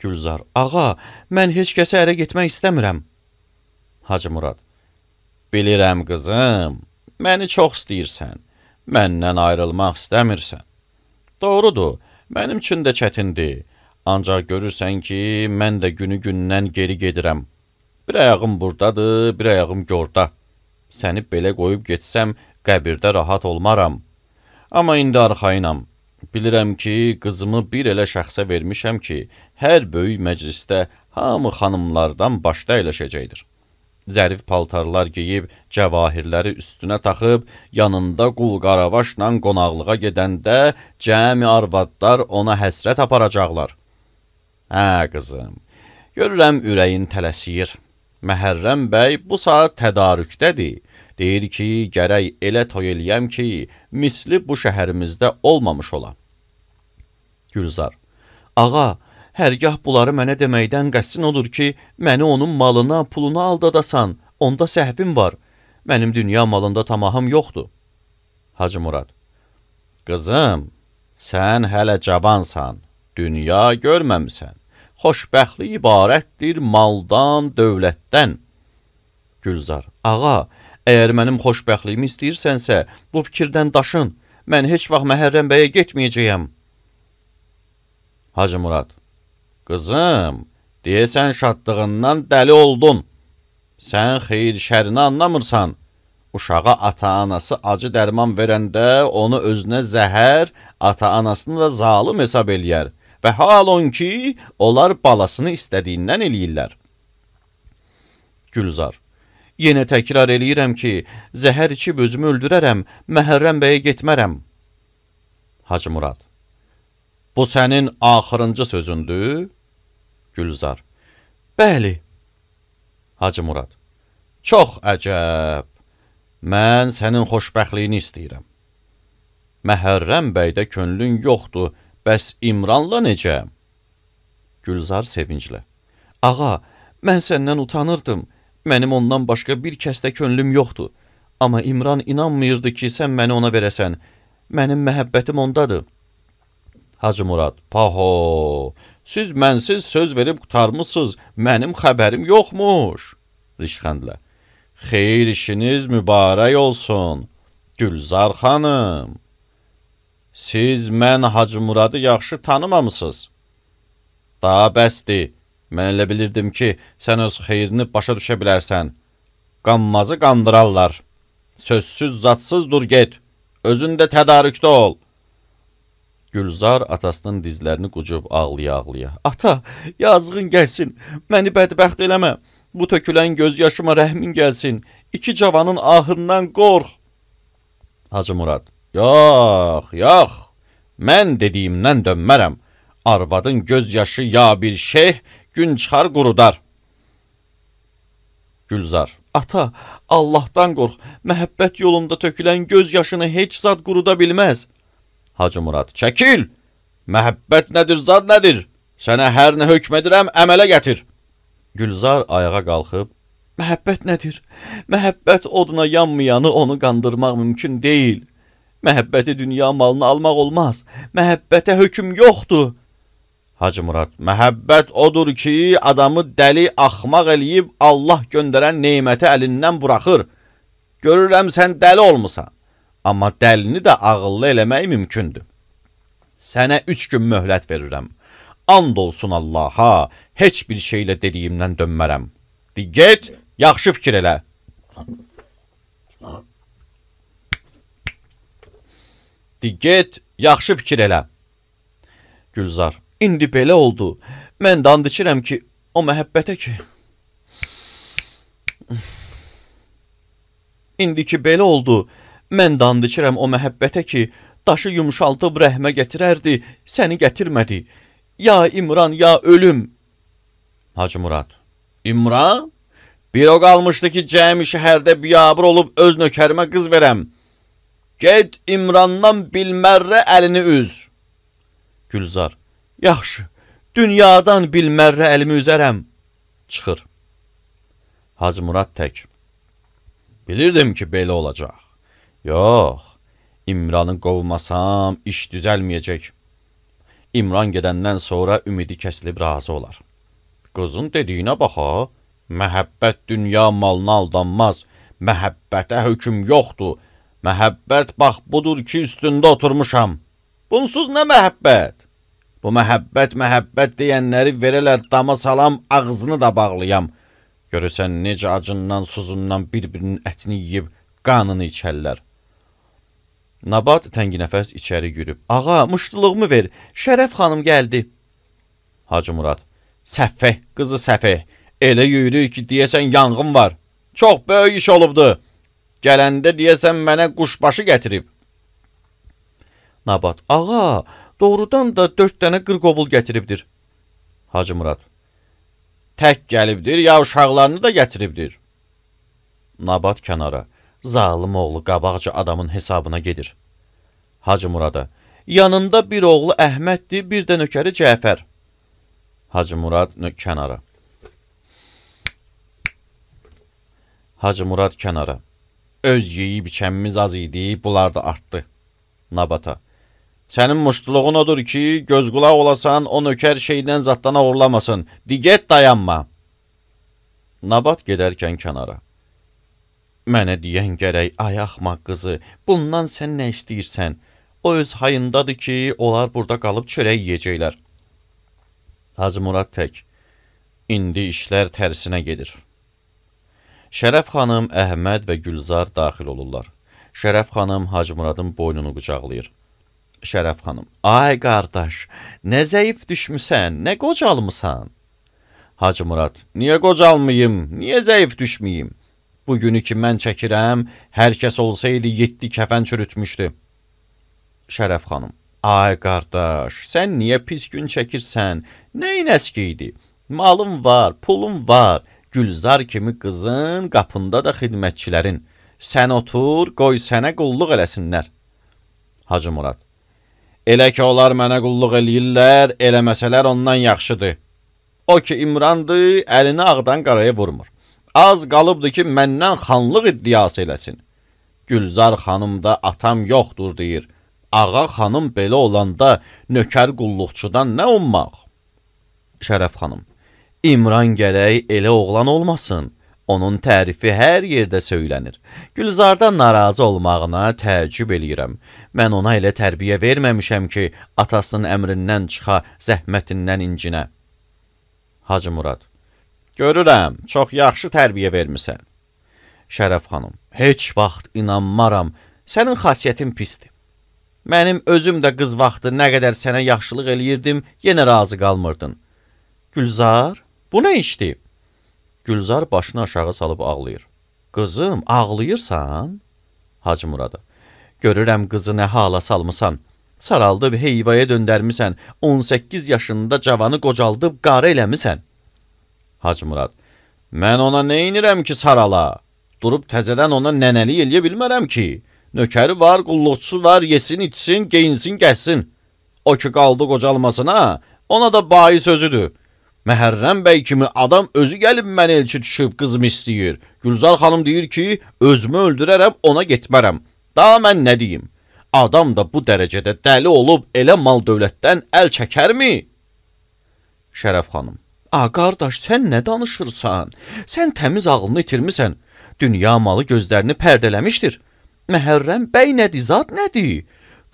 Gülzar. Ağa, mən heç kəsə ərə getmək istəmirəm. Hacı Murad. Bilirəm qızım, məni çox istəyirsən, məndən ayrılmaq istəmirsən. Doğrudur, mənim üçün də çətindir. Ancaq görürsən ki, mən də günü gündən geri gedirəm. Bir ayağım buradadır, bir ayağım gorda. Səni belə qoyub getsəm, qəbirdə rahat olmaram. Amma indi arxayınam. Bilirəm ki, qızımı bir elə şəxsə vermişəm ki, hər böyük məclisdə hamı xanımlardan başda əyləşəcəkdir. Zərif paltarlar geyib, cəvahirləri üstünə taxıb, yanında qul-qaravaşla qonaqlığa gedəndə cəmi arvadlar ona həsrət aparacaqlar. Hə, qızım, görürəm ürəyin tələsir. Məhərrəm bəy bu saat tədarükdədir. Deyir ki, gərək elə toy eləyəm ki, misli bu şəhərimizdə olmamış ola. Gülzar. Ağa, hərgah bunları mənə deməkdən qəssin olur ki, məni onun malına, puluna aldadasan, onda səhvim var. Mənim dünya malında tamahım yoxdur. Hacı Murad. Qızım, sən hələ cavansan, dünya görməmisən. Xoşbəxtlik ibarətdir maldan, dövlətdən. Gülzar. Ağa, əgər mənim xoşbəxtliyimi istəyirsənsə, bu fikirdən daşın. Mən heç vaxt Məhərrəm bəyə getməyəcəyəm. Hacı Murad. Qızım, deyəsən şadlığından dəli oldun. Sən xeyir şərini anlamırsan. Uşağa ata-anası acı dərman verəndə onu özünə zəhər, ata-anasını da zalım hesab eləyər. Və hal on ki, onlar balasını istədiyindən eləyirlər. Gülzar. Yenə təkrar eləyirəm ki, zəhər içib özümü öldürərəm, Məhərrəm bəyə getmərəm. Hacı Murad. Bu sənin axırıncı sözündür? Gülzar. Bəli. Hacı Murad. Çox əcəb. Mən sənin xoşbəxtliyini istəyirəm. Məhərrəm bəydə könlün yoxdur, bəs İmranla necə? Gülzar sevinclə. Ağa, mən səndən utanırdım. Mənim ondan başqa bir kəsdə könlüm yoxdur. Amma İmran inanmıyırdı ki, sən məni ona verəsən. Mənim məhəbbətim ondadır. Hacı Murad. Paho, Siz mənsiz söz verib qutarmısınız, mənim xəbərim yoxmuş. Rişxəndlə. Xeyir işiniz mübarək olsun, Gülzar xanım. Siz mən Hacı Muradı yaxşı tanımamısınız. Daha bəsdir, mən elə bilirdim ki, sən öz xeyrini başa düşə bilərsən. Qanmazı qandırarlar. Sözsüz zatsız dur get, özün də tədarükdə ol. Gülzar atasının dizlərini qucub ağlaya-ağlaya. Ata, yazığın gəlsin, məni bədbəxt eləmə. Bu tökülən göz yaşıma rəhmin gəlsin. İki cavanın ahından qorx. Hacı Murad, yox, yox, mən dediyimdən dönmərəm. Arvadın göz yaşı ya bir şeyh, gün çıxar qurudar. Gülzar, ata, Allahdan qorx, məhəbbət yolunda tökülən göz yaşını heç zad quruda bilməz. Hacı Murad, çəkil, məhəbbət nədir, zad nədir? Sənə hər nə hökm edirəm, əmələ gətir. Gülzar ayağa qalxıb, məhəbbət nədir? Məhəbbət oduna yanmayanı onu qandırmaq mümkün deyil. Məhəbbəti dünya malını almaq olmaz. Məhəbbətə hökm yoxdur. Hacı Murad, məhəbbət odur ki, adamı dəli, axmaq eləyib Allah göndərən neyməti əlindən buraxır. Görürəm sən dəli olmusan, amma dəlini də ağıllı eləmək mümkündür. Sənə üç gün möhlət verirəm. And olsun Allaha, heç bir şeylə dediyimdən dönmərəm. Di get, yaxşı fikir elə. Di get, yaxşı fikir elə. Gülzar, indi belə oldu. Mən də and içirəm ki, o məhəbbətə ki... İndi ki belə oldu, mən də and içirəm o məhəbbətə ki, daşı yumşaldıb rəhmə gətirərdi, səni gətirmədi. Ya İmran, ya ölüm. Hacı Murad, İmran? Bir o qalmışdı ki, cəmi şəhərdə biyabır olub öz nökərimə qız verəm. Get İmrandan bilmərrə əlini üz. Gülzar, yaxşı, dünyadan bilmərrə əlimi üzərəm. Çıxır. Hacı Murad tək. Bilirdim ki, belə olacaq. Yox, İmranı qovmasam, iş düzəlməyəcək. İmran gedəndən sonra ümidi kəsilib razı olar. Qızın dediyinə baxa, məhəbbət dünya malına aldanmaz, məhəbbətə hökm yoxdur. Məhəbbət bax budur ki, üstündə oturmuşam. Bunsuz nə məhəbbət? Bu məhəbbət, məhəbbət deyənləri verələr dama salam, ağzını da bağlayam. Görürsən necə acından, suzundan bir-birinin ətini yiyib, qanını içərlər. Nabat tənginəfəs içəri yürüb. Ağa, muştuluğumu ver, Şərəf xanım gəldi. Hacı Murad, səffeh, qızı səffeh, elə yürür ki, deyəsən yanğın var. Çox böyük iş olubdu. Gələndə deyəsən mənə quşbaşı gətirib. Nabat, ağa, doğrudan da dörd dənə qırqovul gətiribdir. Hacı Murad, tək gəlibdir, ya uşaqlarını da gətiribdir. Nabat kənara, zalım oğlu qabaqca adamın hesabına gedir. Hacı Murada, yanında bir oğlu Əhməddir, bir də nökəri Cəfər. Hacı Murad kənara. Hacı Murad kənara. Öz yeyib içəmimiz az idi, bunlar da artdı. Nabata, sənin muştuluğun odur ki, göz qulaq olasan, o nökər şeydən zatdan uğurlamasın. Diget dayanma. Nabat gedərkən kənara. Mənə deyən gərək, ay axmaq qızı, bundan sən nə istəyirsən? O öz hayındadır ki, onlar burada qalıb çörək yiyəcəklər. Hacı Murad tək. İndi işlər tərsinə gedir. Şərəf xanım, Əhməd və Gülzar daxil olurlar. Şərəf xanım Hacı Muradın boynunu qucaqlayır. Şərəf xanım, ay qardaş, nə zəif düşmüsən, nə qocalmısan? Hacı Murad, niyə qocalmayım, niyə zəif düşməyim? Bugünü ki mən çəkirəm, hər kəs olsaydı yeddi kəfən çürütmüşdü. Şərəf xanım, ay qardaş, sən niyə pis gün çəkirsən? Nəyin əski idi? Malım var, pulum var, Gülzar kimi qızın, qapında da xidmətçilərin. Sən otur, qoy sənə qulluq eləsinlər. Hacı Murad, elə ki onlar mənə qulluq eləyirlər, eləməsələr ondan yaxşıdır. O ki İmrandır, əlini ağdan qaraya vurmur. Az qalıbdır ki, məndən xanlıq iddiası eləsin. Gülzar xanım da atam yoxdur deyir. Ağa xanım belə olanda nökər qulluqçudan nə ummaq? Şərəf xanım, İmran gərək elə oğlan olmasın. Onun tərifi hər yerdə söylənir. Gülzardan narazı olmağına təəccüb eləyirəm. Mən ona elə tərbiyə verməmişəm ki, atasının əmrindən çıxa, zəhmətindən incinə. Hacı Murad, görürəm, çox yaxşı tərbiyə vermisən. Şərəf xanım, heç vaxt inanmaram, sənin xasiyyətin pisdir. Mənim özüm də qız vaxtı nə qədər sənə yaxşılıq eləyirdim, yenə razı qalmırdın. Gülzar, bu nə işdir? Gülzar başını aşağı salıb ağlayır. Qızım, ağlayırsan? Hacı Murada, görürəm qızı nə hala salmısan. Saraldıb heyvaya döndərmisən, on səkkiz yaşında cavanı qocaldıb qarı eləmisən. Hacı Murad, mən ona neynirəm ki sarala? Durub təzədən ona nənəli eləyə bilmərəm ki. Nökəri var, qulluqçusu var, yesin, içsin, geyinsin, gəlsin. O ki qaldı qocalmasına, ona da bayi sözüdür. Məhərrəm bəy kimi adam özü gəlib mənə elçi düşüb qızımı istəyir. Gülzar xanım deyir ki, özümü öldürərəm, ona getmərəm. Daha mən nə deyim? Adam da bu dərəcədə dəli olub elə mal dövlətdən əl çəkərmi? Şərəf xanım, a qardaş, sən nə danışırsan? Sən təmiz ağlını itirmisən. Dünya malı gözlərini pərdələmişdir. Məhərrəm bəy nədir, zat nədir?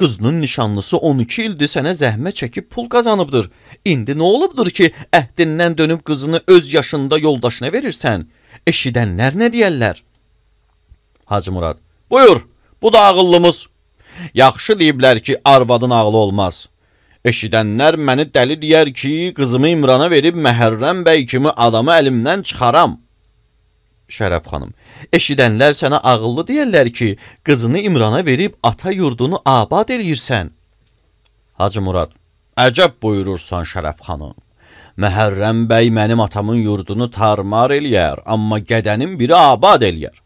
Qızının nişanlısı on iki ildir sənə zəhmət çəkib pul qazanıbdır. İndi nə olubdur ki, əhdindən dönüb qızını öz yaşında yoldaşına verirsən? Eşidənlər nə deyərlər? Hacı Murad, buyur, bu da ağıllımız. Yaxşı deyiblər ki, arvadın ağlı olmaz. Eşidənlər məni dəli deyər ki, qızımı İmrana verib Məhərrəm bəy kimi adamı əlimdən çıxaram. Şərəf xanım, eşidənlər sənə ağıllı deyərlər ki, qızını İmrana verib ata yurdunu abad eləyirsən. Hacı Murad, əcəb buyurursan Şərəf xanım. Məhərrəm bəy mənim atamın yurdunu tarmar eləyər, amma qədənin biri abad eləyər.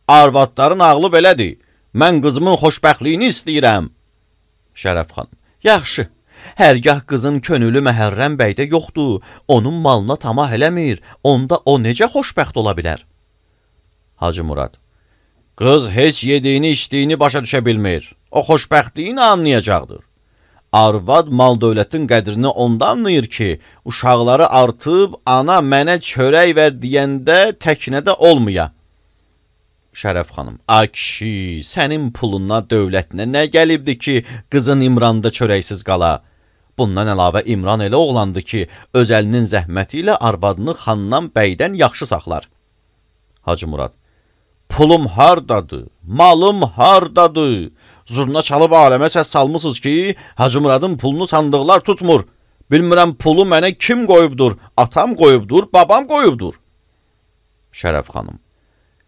Arvadların ağlı belədir. Mən qızımın xoşbəxtliyini istəyirəm. Şərəf xanım, yaxşı. Hərgah qızın könülü Məhərrəm bəydə yoxdur, onun malına tamah eləmir, onda o necə xoşbəxt ola bilər? Hacı Murad, qız heç yediyini içdiyini başa düşə bilmir. O xoşbəxtliyini anlayacaqdır. Arvad mal dövlətin qədrini onda anlayır ki, uşaqları artıb ana mənə çörək ver deyəndə təknədə olmaya. Şərəf xanım, a kişi, sənin puluna dövlətinə nə gəlibdir ki, qızın İmranda çörəksiz qala? Bundan əlavə İmran elə oğlandı ki, öz əlinin zəhməti ilə arvadını xandan bəydən yaxşı saxlar. Hacı Murad, pulum hardadır, malım hardadır? Zurna çalıb aləmə səs salmısınız ki, Hacı Muradın pulunu sandıqlar tutmur. Bilmirəm pulu mənə kim qoyubdur, atam qoyubdur, babam qoyubdur. Şərəf xanım,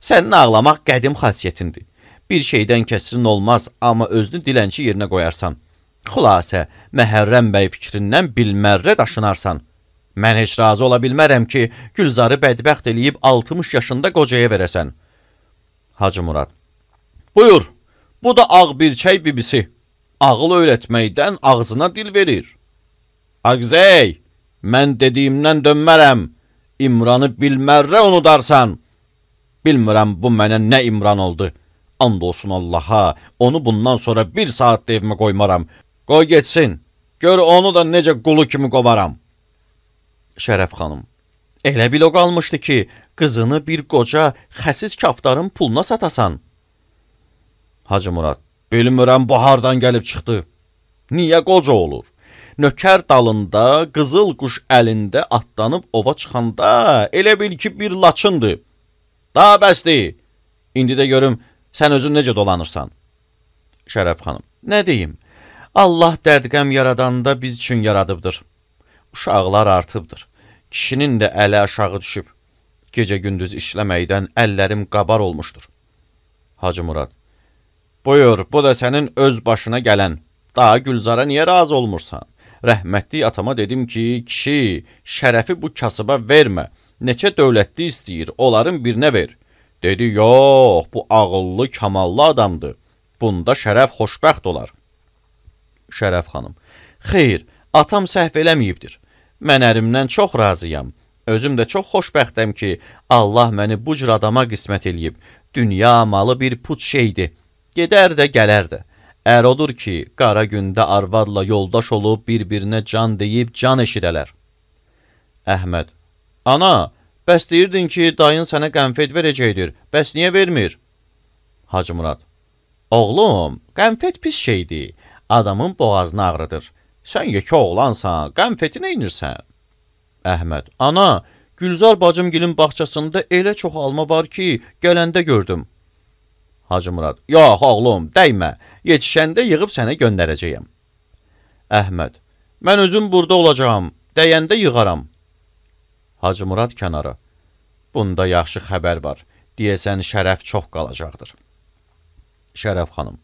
sənin ağlamaq qədim xasiyyətindir. Bir şeydən kəsin olmaz, amma özünü dilənçi yerinə qoyarsan. Xülasə, Məhərrəm bəy fikrindən bilmərrə daşınarsan. Mən heç razı ola bilmərəm ki, Gülzarı bədbəxt eləyib altmış yaşında qocaya verəsən. Hacı Murad, buyur, bu da ağ birçək bibisi. Ağıl öyrətməkdən ağzına dil verir. Ağzey, mən dediyimdən dönmərəm. İmranı bilmərrə unudarsan. Bilmirəm bu mənə nə İmran oldu. And olsun Allaha, onu bundan sonra bir saat da evimə qoymaram. Qoy getsin, gör onu da necə qulu kimi qovaram. Şərəf xanım, elə bil o qalmışdı ki, qızını bir qoca xəsis kaftarın puluna satasan. Hacı Murad, bilmirəm bu hardan gəlib çıxdı. Niyə qoca olur? Nökər dalında, qızıl quş əlində atlanıb ova çıxanda elə bil ki bir laçındır. Daha bəsdir. İndi də görüm, sən özün necə dolanırsan? Şərəf xanım, nə deyim? Allah dərdqəm yaradanda biz üçün yaradıbdır. Uşaqlar artıbdır. Kişinin də əli aşağı düşüb. Gecə-gündüz işləməkdən əllərim qabar olmuşdur. Hacı Murad, buyur, bu da sənin öz başına gələn. Daha Gülzara niyə razı olmursan? Rəhmətli atama dedim ki, kişi, şərəfi bu kasıba vermə. Neçə dövlətli istəyir, onların birinə ver. Dedi, yox, bu ağıllı, kamallı adamdır. Bunda şərəf xoşbəxt olar. Şərəf xanım, xeyr, atam səhv eləməyibdir. Mən ərimdən çox razıyam. Özüm də çox xoşbəxtəm ki, Allah məni bu cür adama qismət eləyib. Dünya malı bir put şeydir. Gedər də, gələr də. Ər odur ki, qara gündə arvadla yoldaş olub bir-birinə can deyib can eşidələr. Əhməd. Ana, bəs deyirdin ki, dayın sənə qənfet verəcəkdir. Bəs niyə vermir? Hacı Murad. Oğlum, qənfet pis şeydir. Adamın boğazını ağrıdır. Sən yekə oğlansan, qənfeti neynirsən? Əhməd. Ana, Gülzar bacımgilin bağçasında elə çox alma var ki, gələndə gördüm. Hacı Murad. Yox oğlum, dəymə. Yetişəndə yığıb sənə göndərəcəyəm. Əhməd. Mən özüm burada olacağam. Dəyəndə yığaram. Hacı Murad kənara. Bunda yaxşı xəbər var. Deyəsən Şərəf çox qalacaqdır. Şərəf xanım.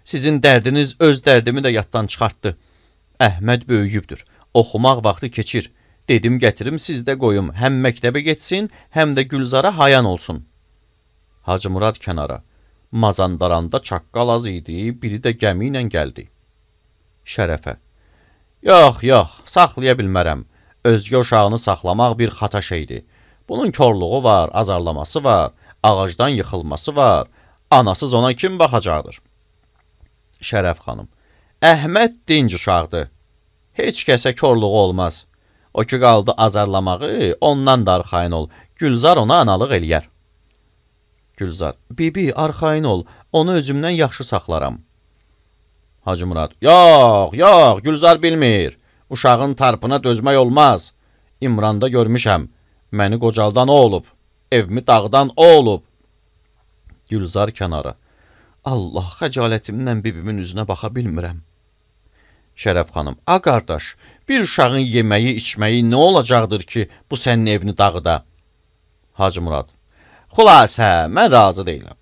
Sizin dərdiniz öz dərdimi də yaddan çıxartdı. Əhməd böyüyübdür. Oxumaq vaxtı keçir. Dedim gətirim sizdə qoyum. Həm məktəbə getsin, həm də Gülzara hayan olsun. Hacı Murad kənara. Mazandaranda çaqqal az idi, biri də gəmi ilə gəldi. Şərəfə. Yox, yox, saxlaya bilmərəm. Özgə uşağını saxlamaq bir xata şeydir. Bunun körluğu var, azarlaması var, ağacdan yıxılması var. Anasız ona kim baxacaqdır? Şərəf xanım. Əhməd dinc uşaqdır. Heç kəsə körluğu olmaz. O ki qaldı azarlamağı, ondan da arxayın ol. Gülzar ona analıq eləyər. Gülzar. Bibi, arxayın ol. Onu özümdən yaxşı saxlaram. Hacı Murad. Yox, yox, Gülzar bilmir. Uşağın tarpına dözmək olmaz. İmranda görmüşəm. Məni qocaldan o olub. Evimi dağdan o olub. Gülzar kənara. Allah, xəcalətimdən bibimin üzünə baxa bilmirəm. Şərəf xanım. A, qardaş, bir uşağın yeməyi, içməyi nə olacaqdır ki, bu sənin evini dağıda? Hacı Murad. Xülasə, mən razı deyiləm.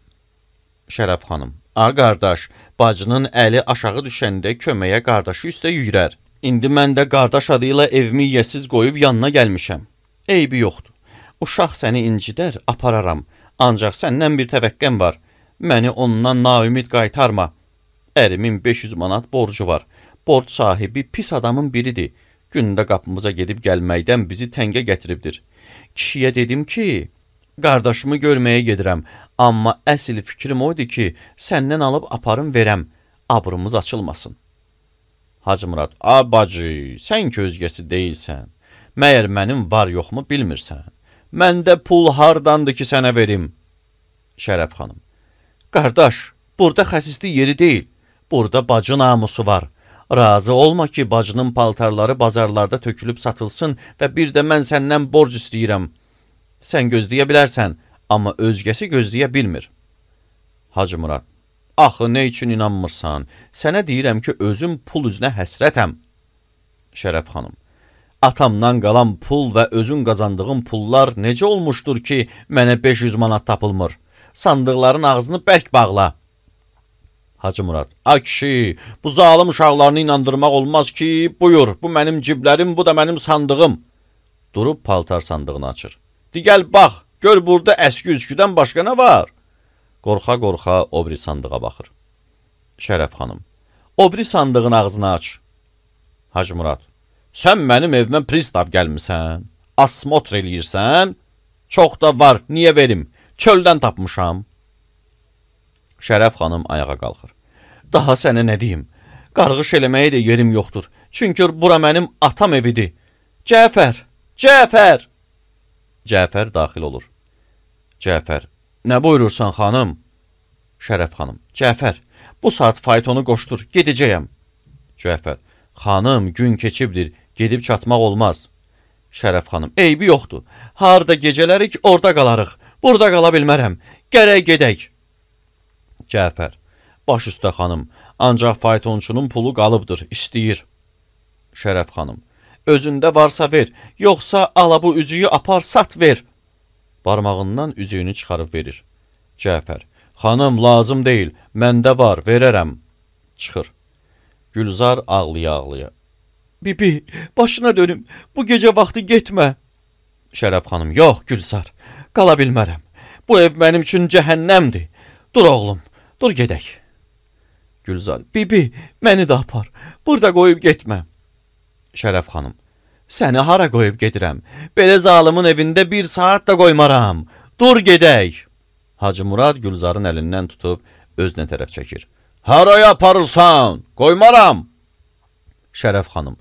Şərəf xanım. A, qardaş, bacının əli aşağı düşəndə köməyə qardaşı üstə yüyrər. İndi mən də qardaş adıyla evimi yesiz qoyub yanına gəlmişəm. Eybi yoxdur. Uşaq səni incidər, apararam. Ancaq səndən bir təvəqqəm var. Məni ondan naümid qaytarma. Ərimin beş yüz manat borcu var. Borc sahibi pis adamın biridir. Gündə qapımıza gedib gəlməkdən bizi təngə gətiribdir. Kişiyə dedim ki, qardaşımı görməyə gedirəm. Amma əsl fikrim oydu ki, səndən alıb aparım verəm. Abrımız açılmasın. Hacı Murad. A, bacı, sən ki özgəsi deyilsən. Məyər mənim var yoxmu bilmirsən. Məndə pul hardandır ki sənə verim? Şərəf xanım. Qardaş, burada xəsisli yeri deyil. Burada bacı namusu var. Razı olma ki, bacının paltarları bazarlarda tökülüb satılsın və bir də mən səndən borc istəyirəm. Sən gözləyə bilərsən, amma özgəsi gözləyə bilmir. Hacı Murad. Axı, nə üçün inanmırsan? Sənə deyirəm ki, özüm pul üzünə həsrətəm. Şərəf xanım. Atamdan qalan pul və özün qazandığın pullar necə olmuşdur ki, mənə beş yüz manat tapılmır? Sandıqların ağzını bərk bağla. Hacı Murad. A kişi, bu zalım uşaqlarını inandırmaq olmaz ki, buyur, bu mənim ciblərim, bu da mənim sandığım. Durub paltar sandığını açır. De gəl bax, gör burada əski üsküdən başqa nə var? Qorxa-qorxa o biri sandığa baxır. Şərəf xanım. O biri sandığın ağzını aç. Hacı Murad. Sən mənim evimə pristav gəlmirsən, asmotr eləyirsən, çox da var, niyə verim? Çöldən tapmışam. Şərəf xanım ayağa qalxır. Daha sənə nə deyim? Qarğış eləməyə də yerim yoxdur. Çünki bura mənim atam evidir. Cəfər, Cəfər. Cəfər daxil olur. Cəfər, nə buyurursan xanım? Şərəf xanım, Cəfər, bu saat faytonu qoşdur, gedəcəyəm. Cəfər, xanım, gün keçibdir, gedib çatmaq olmaz. Şərəf xanım, eybi yoxdur. Harda gecələrik, orada qalarıq. Burada qala bilmərəm. Gərək gedək. Cəfər, baş üstə xanım, ancaq faytonçunun pulu qalıbdır, istəyir. Şərəf xanım, özündə varsa ver, yoxsa ala bu üzüyü apar, sat ver. Barmağından üzüyünü çıxarıb verir. Cəfər, xanım, lazım deyil, məndə var, verərəm. Çıxır. Gülzar ağlaya-ağlaya. Bibi, başına dönüm, bu gecə vaxtı getmə. Şərəf xanım, yox Gülzar, qala bilmərəm. Bu ev mənim üçün cəhənnəmdir. Dur oğlum, dur gedək. Gülzar, bibi, məni də apar, burada qoyub getmə. Şərəf xanım, səni hara qoyub gedirəm? Belə zalımın evində bir saat da qoymaram. Dur gedək. Hacı Murad Gülzarın əlindən tutub özünə tərəf çəkir. Haraya aparırsan? Qoymaram. Şərəf xanım,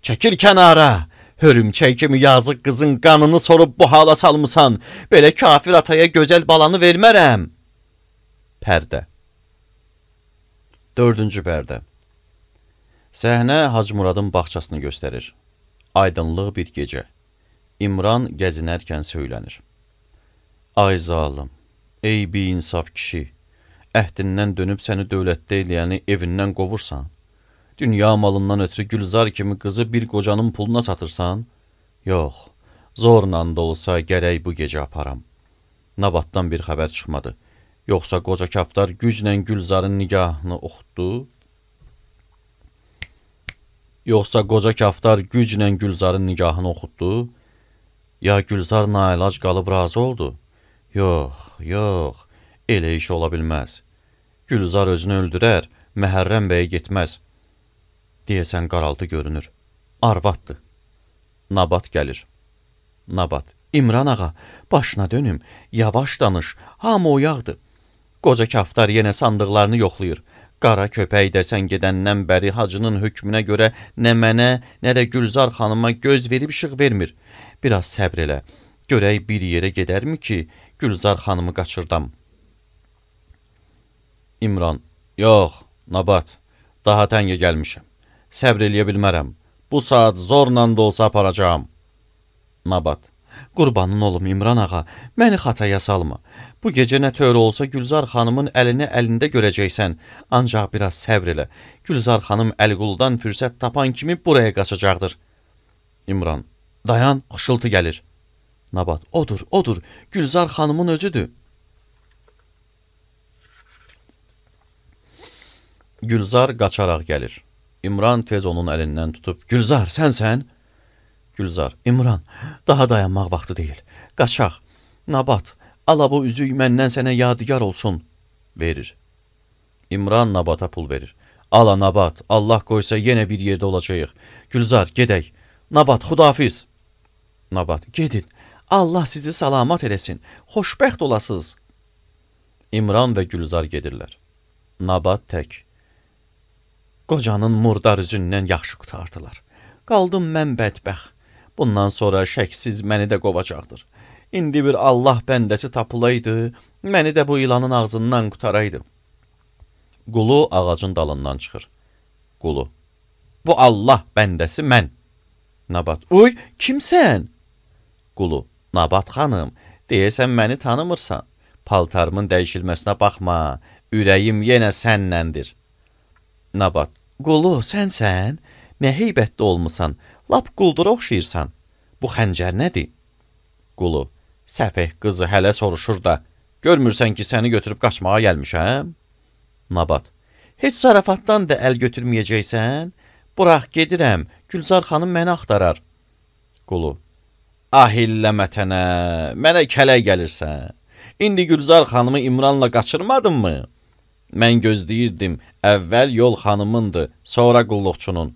çəkil kənara. Hörümçək kimi yazıq qızın qanını sorub bu hala salmısan. Belə kafir ataya gözəl balanı vermərəm. Pərdə. Dördüncü pərdə. Səhnə Hacı Muradın bağçasını göstərir. Aydınlıq bir gecə. İmran gəzinərkən söylənir. Ay zalım, ey bi-insaf kişi, əhdindən dönüb səni dövlətdə eləyəni evindən qovursan, dünya malından ötürü Gülzar kimi qızı bir qocanın puluna satırsan, yox, zorla da olsa gərək bu gecə aparam. Nabatdan bir xəbər çıxmadı. Yoxsa qoca kaftar güclə Gülzarın nigahını oxutdu? Yoxsa qoca kaftar güclə Gülzarın nigahını oxutdu? Ya Gülzar nailac qalıb razı oldu? Yox, yox, elə iş ola bilməz. Gülzar özünü öldürər, Məhərrəm bəyə getməz. Deyəsən qaraltı görünür. Arvaddır. Nabat gəlir. Nabat. İmran ağa, başına dönüm, yavaş danış, hamı oyaqdır. Qoca kaftar yenə sandıqlarını yoxlayır. Qara köpək dəsən gedəndən bəri hacının hökmünə görə nə mənə, nə də Gülzar xanıma göz verib işıq vermir. Biraz səbr elə. Görək bir yerə gedərmi ki, Gülzar xanımı qaçırdam. İmran. Yox, Nabat, daha təngə gəlmişəm. Səbr eləyə bilmərəm. Bu saat zorla da olsa aparacağam. Nabat. Qurbanın olum İmran ağa, məni xataya salma. Bu gecə nə tövr olsa Gülzar xanımın əlini əlində görəcəksən. Ancaq biraz səbr elə. Gülzar xanım Əliquldan fürsət tapan kimi buraya qaçacaqdır. İmran. Dayan, xışıltı gəlir. Nabat. Odur, odur. Gülzar xanımın özüdür. Gülzar qaçaraq gəlir. İmran tez onun əlindən tutub, Gülzar, sənsən? Gülzar, İmran, daha dayanmaq vaxtı deyil. Qaçaq. Nabat, ala bu üzük məndən sənə yadigar olsun. Verir. İmran Nabata pul verir. Ala Nabat, Allah qoysa yenə bir yerdə olacağıq. Gülzar, gedək. Nabat, xudafiz. Nabat, gedin. Allah sizi salamat eləsin. Xoşbəxt olasınız. İmran və Gülzar gedirlər. Nabat tək. Qocanın murdar üzündən yaxşı qutardılar. Qaldım mən bədbəxt. Bundan sonra şəksiz məni də qovacaqdır. İndi bir Allah bəndəsi tapılaydı, məni də bu ilanın ağzından qutaraydı. Qulu ağacın dalından çıxır. Qulu. Bu Allah bəndəsi mən. Nabat. Uy, kimsən? Qulu. Nabat xanım, deyəsən məni tanımırsan. Paltarımın dəyişilməsinə baxma, ürəyim yenə sənnəndir. Nabat. Qulu, sənsən? Nə heybətli olmusan, lap quldura oxşayırsan. Bu xəncər nədir? Qulu. Səfeh qızı hələ soruşur da, görmürsən ki, səni götürüb qaçmağa gəlmişəm? Nabat. Heç zarafatdan da əl götürməyəcəksən? Burax, gedirəm, Gülzar xanım məni axtarar. Qulu. Ahillə mətənə, mənə kələk gəlirsən. İndi Gülzar xanımı İmranla qaçırmadın mı? Mən gözləyirdim, əvvəl yol xanımındır, sonra qulluqçunun.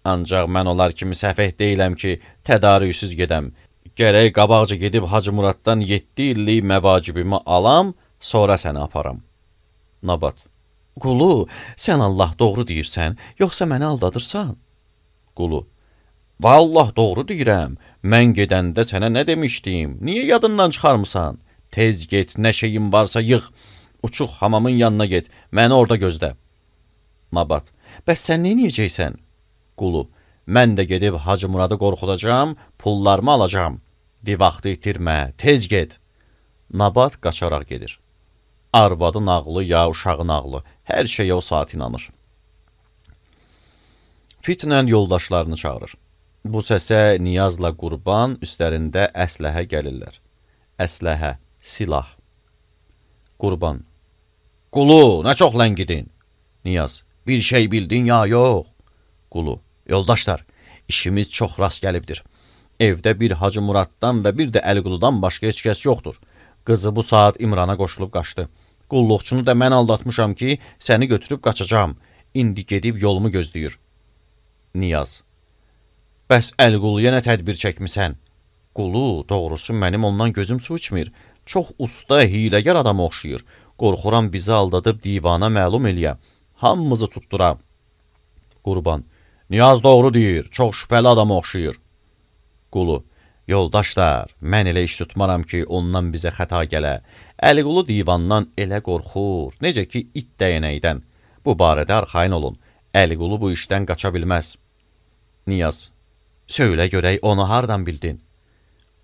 Ancaq mən onlar kimi səfeh deyiləm ki, tədarüksüz gedəm. Gərək qabaqca gedib Hacı Muraddan yeddi illik məvacibimi alam, sonra səni aparam. Nabat. Qulu, sən Allah doğru deyirsən, yoxsa məni aldadırsan? Qulu. Vallah doğru deyirəm, mən gedəndə sənə nə demişdim, niyə yadından çıxarmısan? Tez get, nə şeyin varsa yığ, uçuq hamamın yanına get, məni orada gözlə. Nabat. Bəs sən neyniyəcəksən? Qulu. Mən də gedib Hacı Muradı qorxudacam, pullarımı alacam. De vaxtı itirmə, tez get. Nabat qaçaraq gedir. Arvadı nağlı ya uşağı nağlı, hər şeyə o saat inanır. Fitnən yoldaşlarını çağırır. Bu səsə Niyazla Qurban üstlərində əsləhə gəlirlər. Əsləhə, silah. Qurban. Qulu, nə çox ləngidin? Niyaz. Bir şey bildin ya yox? Qulu. Yoldaşlar, işimiz çox rast gəlibdir. Evdə bir Hacı Muraddan və bir də Əliquludan başqa heç kəs yoxdur. Qızı bu saat İmrana qoşulub qaçdı. Qulluqçunu da mən aldatmışam ki, səni götürüb qaçacam. İndi gedib yolumu gözləyir. Niyaz. Bəs Əliquluya nə tədbir çəkmisən? Qulu, doğrusu mənim ondan gözüm su içmir. Çox usta, hiləgər adama oxşayır. Qorxuram bizi aldadıb divana məlum eləyə. Hamımızı tutdura. Qurban. Niyaz doğru deyir, çox şübhəli adama oxşayır. Qulu, yoldaşlar, mən elə iş tutmaram ki, ondan bizə xəta gələ. Əliqulu divandan elə qorxur, necə ki, it dəyənəkdən. Bu barədə arxayın olun, Əliqulu bu işdən qaça bilməz. Niyaz, söylə görək, onu hardan bildin?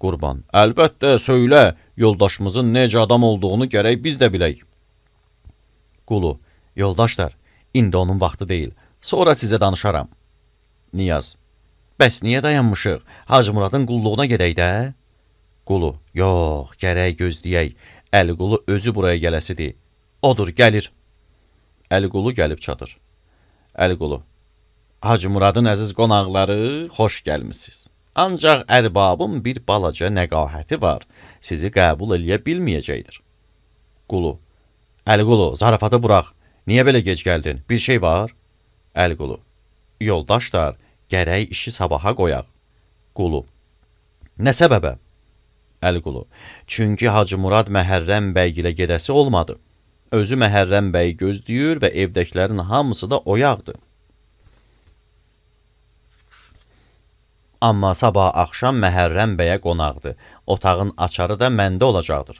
Qurban, əlbəttə, söylə, yoldaşımızın necə adam olduğunu gərək biz də bilək. Qulu, yoldaşlar, indi onun vaxtı deyil, sonra sizə danışaram. Niyaz, bəs niyə dayanmışıq? Hacı Muradın qulluğuna gedək də? Qulu, yox, gərək gözləyək. Əliqulu özü buraya gələsidir. Odur, gəlir. Əliqulu gəlib çatır. Əliqulu, Hacı Muradın əziz qonaqları, xoş gəlmişsiniz. Ancaq ərbabın bir balaca nəqahəti var, sizi qəbul eləyə bilməyəcəkdir. Qulu, Əliqulu, zarafatı burax, niyə belə gec gəldin, bir şey var? Əliqulu, yoldaşlar, gərək işi sabaha qoyaq. Qulu, nə səbəbə? Əliqulu, çünki Hacı Murad Məhərrəm bəy ilə gedəsi olmadı. Özü Məhərrəm bəy gözləyir və evdəkilərin hamısı da oyaqdır. Amma sabah axşam Məhərrəm bəyə qonaqdır. Otağın açarı da məndə olacaqdır.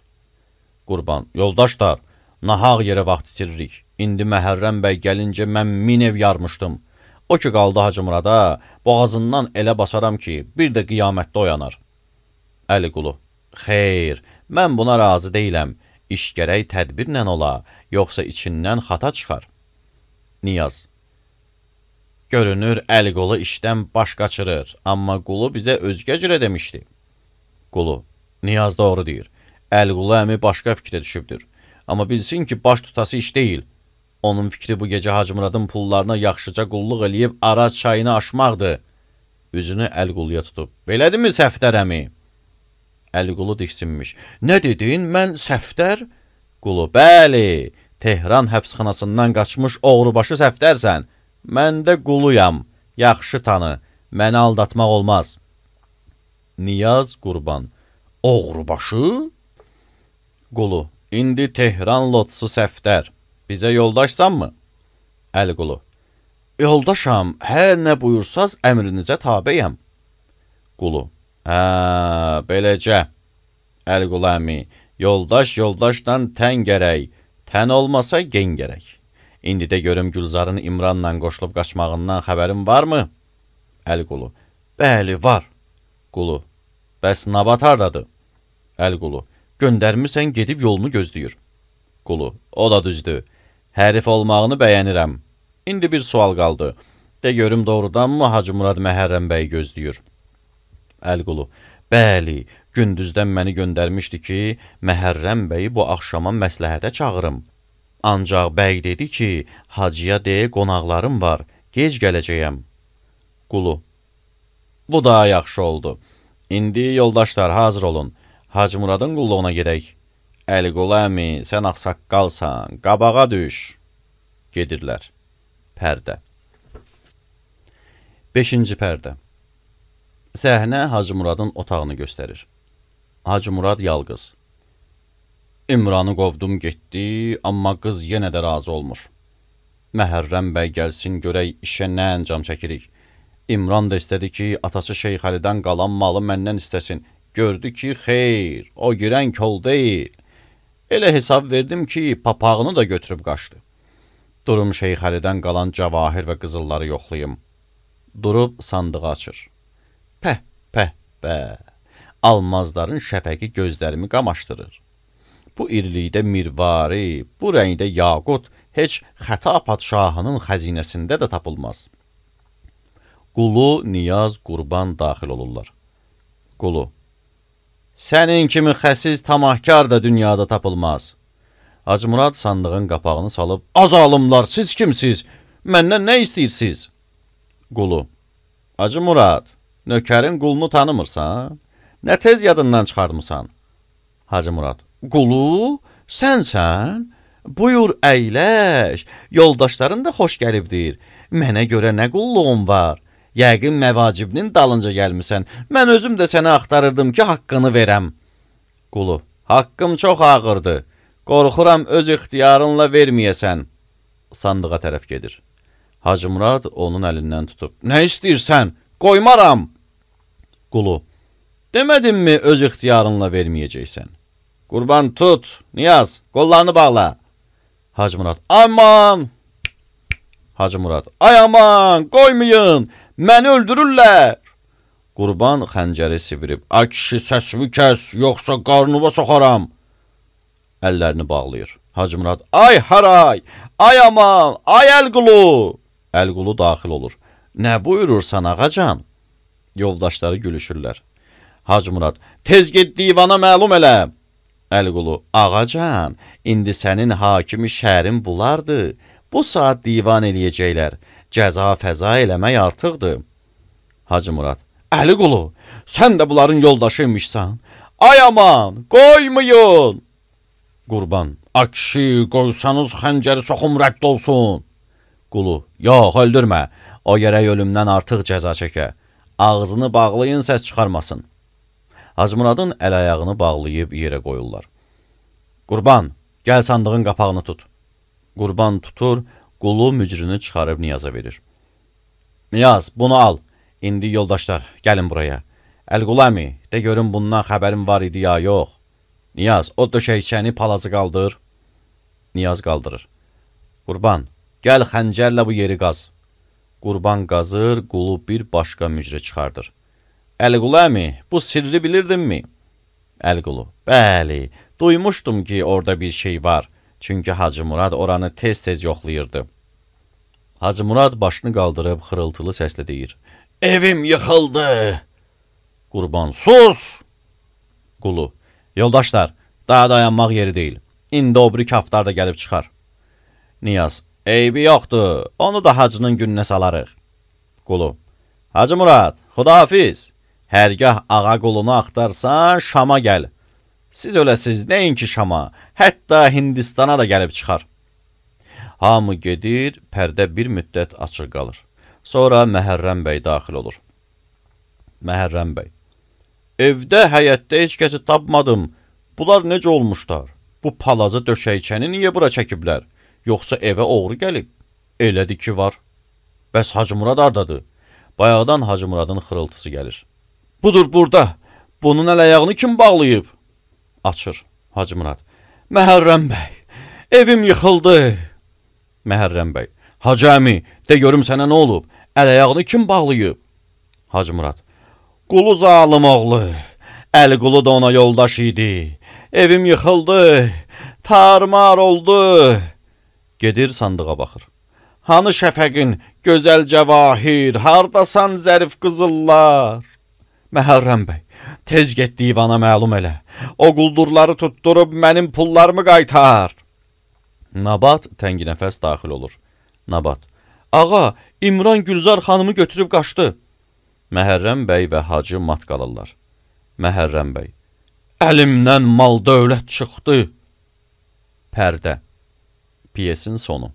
Qurban, yoldaşlar, nahaq yerə vaxt itiririk. İndi Məhərrəm bəy gəlincə mən min ev yarmışdım. O ki qaldı Hacı Murada, boğazından elə basaram ki, bir də qiyamətdə oyanar. Əliqulu, xeyr, mən buna razı deyiləm. İş gərək tədbirlə ola, yoxsa içindən xata çıxar. Niyaz, görünür, Əliqulu işdən baş qaçırır, amma Qulu bizə özgə cürə demişdi. Qulu, Niyaz doğru deyir. Əliqulu əmi başqa fikrə düşübdür. Amma bilsin ki, baş tutası iş deyil. Onun fikri bu gecə Hacı Muradın pullarına yaxşıca qulluq eləyib Araz çayını aşmaqdır. Üzünü Əliquluya tutub. Belədirmi Səfdər əmi? Əliqulu diksinmiş. Nə dedin, mən Səfdər? Qulu, bəli, Tehran həbsxanasından qaçmış oğrubaşı Səfdərsən. Mən də Quluyam, yaxşı tanı, məni aldatmaq olmaz. Niyaz Qurban, oğrubaşı? Qulu, indi Tehran lotsu Səfdər, bizə yoldaşsanmı? Əliqulu, yoldaşam, hər nə buyursaz əmrinizə tabəyəm. Qulu, hə, beləcə. Əliqulu əmi, yoldaş yoldaşdan tən gərək, tən olmasa gen gərək. İndi də görüm Gülzarın İmranla qoşulub qaçmağından xəbərin varmı? Əliqulu, bəli, var. Qulu, bəs Nabat hardadır? Əliqulu, göndərmirsən gedib yolunu gözləyir. Qulu, o da düzdür. Hərif olmağını bəyənirəm. İndi bir sual qaldı. De görüm doğrudanmı Hacı Murad Məhərrəm bəyi gözləyir? Əliqulu, bəli, gündüzdən məni göndərmişdi ki, Məhərrəm bəyi bu axşama məsləhətə çağırım. Ancaq bəy dedi ki, hacıya deyə qonaqlarım var, gec gələcəyəm. Qulu, bu da yaxşı oldu. İndi yoldaşlar hazır olun, Hacı Muradın qulluğuna gedək. Əliqulu əmi, sən ağsaqqalsan, qabağa düş. Gedirlər. Pərdə. Beşinci pərdə. Səhnə Hacı Muradın otağını göstərir. Hacı Murad yalqız. İmranı qovdum getdi, amma qız yenə də razı olmur. Məhərrəm bəy gəlsin görək işə nə əncam çəkirik. İmran da istədi ki, atası Şeyx Əlidən qalan malı məndən istəsin. Gördü ki, xeyr, o girən kol deyil. Elə hesab verdim ki, papağını da götürüb qaçdı. Durum Şeyx Əlidən qalan cavahir və qızılları yoxlayım. Durub sandığı açır. Pəh, pəh, bəh. Almazların şəfəqi gözlərimi qamaşdırır. Bu irilikdə mirvari, bu rəngdə yaqut heç Xəta padşahının xəzinəsində də tapılmaz. Qulu, Niyaz, Qurban daxil olurlar. Qulu, sənin kimi xəsiz tamahkar da dünyada tapılmaz. Hacı Murad sandığın qapağını salıb, az alımlar, siz kimsiz? Məndən nə istəyirsiniz? Qulu, Hacı Murad, nökərin qulunu tanımırsan? Nə tez yadından çıxarmısan? Hacı Murad, Qulu, sənsən? Buyur, əyləş, yoldaşların da xoş gəlibdir. Mənə görə nə qulluğun var? Yəqin məvacibinin dalınca gəlmisən. Mən özüm də səni axtarırdım ki, haqqını verəm. Qulu, haqqım çox ağırdır. Qorxuram öz ixtiyarınla verməyəsən. Sandığa tərəf gedir. Hacı Murad onun əlindən tutub. Nə istəyirsən? Qoymaram. Qulu, Demədimmi öz ixtiyarınla verməyəcəksən? Qurban tut, Niyaz, qollarını bağla. Hacı Murad, aman! Hacı Murad, ay aman, qoymayın, məni öldürürlər. Qurban xəncəri sivirib, ay kişi səsimi kəs, yoxsa qarnıma soxaram. Əllərini bağlayır. Hacı Murad, ay haray, ay aman, ay Əlqulu. Əlqulu daxil olur. Nə buyurursan ağacan? Yoldaşları gülüşürlər. Hacı Murad, tez get divana məlum elə. Əlqulu, ağacan, indi sənin hakimi şəhərin bulardı. Bu saat divan eləyəcəklər. Cəza fəza eləmək artıqdır. Hacı Murad, Əliqulu, sən də bunların yoldaşıymışsan. Ay aman, qoymayın. Qurban, akşi, qoysanız xəncəri soxum rədd olsun. Qulu, yox, öldürmə. O yerə ölümdən artıq cəza çəkə. Ağzını bağlayın, səs çıxarmasın. Hacı Muradın əl-ayağını bağlayıb yerə qoyurlar. Qurban, gəl sandığın qapağını tut. Qurban tutur, Qulu mücrünü çıxarıb Niyaza verir. Niyaz, bunu al. İndi yoldaşlar, gəlin buraya. Əlqulu əmi, de görün bundan xəbərim var idi ya yox. Niyaz, o döşəkçəni palazı qaldır. Niyaz qaldırır. Qurban, gəl xəncərlə bu yeri qaz. Qurban qazır, Qulu bir başqa mücrü çıxardır. Əlqulu əmi, bu sirri bilirdinmi? Əlqulu, bəli, duymuşdum ki, orada bir şey var. Çünki Hacı Murad oranı tez-tez yoxlayırdı. Hacı Murad başını qaldırıb xırıltılı səslə deyir. Evim yıxıldı. Qurban, sus! Qulu, yoldaşlar, daha dayanmaq yeri deyil. İndi o biri kaftar da gəlib çıxar. Niyaz, eybi yoxdur, onu da hacının gününə salarıq. Qulu, Hacı Murad, xudahafiz. Hərgah ağa qulunu axtarsan, Şama gəl. Siz öləsiz, nəinki Şama, hətta Hindistana da gəlib çıxar. Hamı gedir, pərdə bir müddət açıq qalır. Sonra Məhərrəm bəy daxil olur. Məhərrəm bəy, evdə, həyətdə heç kəsi tapmadım. Bunlar necə olmuşlar? Bu palazı döşəkçəni niyə bura çəkiblər? Yoxsa evə oğru gəlib? Elədi ki var. Bəs Hacı Murad ardadır? Bayaqdan Hacı Muradın xırıltısı gəlir. Budur burada. Bunun əl-ayağını kim bağlayıb? Açır. Hacı Murad. Məhərrəm bəy, evim yıxıldı. Məhərrəm bəy. Hacı əmi, de görüm sənə nə olub? Əl-ayağını kim bağlayıb? Hacı Murad. Qulu zalım oğlu. Əliqulu da ona yoldaş idi. Evim yıxıldı. Tarmar oldu. Gedir sandığa baxır. Hanı şəfəqin, gözəl cəvahir, hardasan zərif qızıllar? Məhərrəm bəy, tez get divana məlum elə. O quldurları tutturub mənim pullarımı qaytar. Nabat tənginəfəs daxil olur. Nabat, ağa, İmran Gülzar xanımı götürüb qaçdı. Məhərrəm bəy və hacı mat qalırlar. Məhərrəm bəy, əlimdən mal dövlət çıxdı. Pərdə. Piyesin sonu.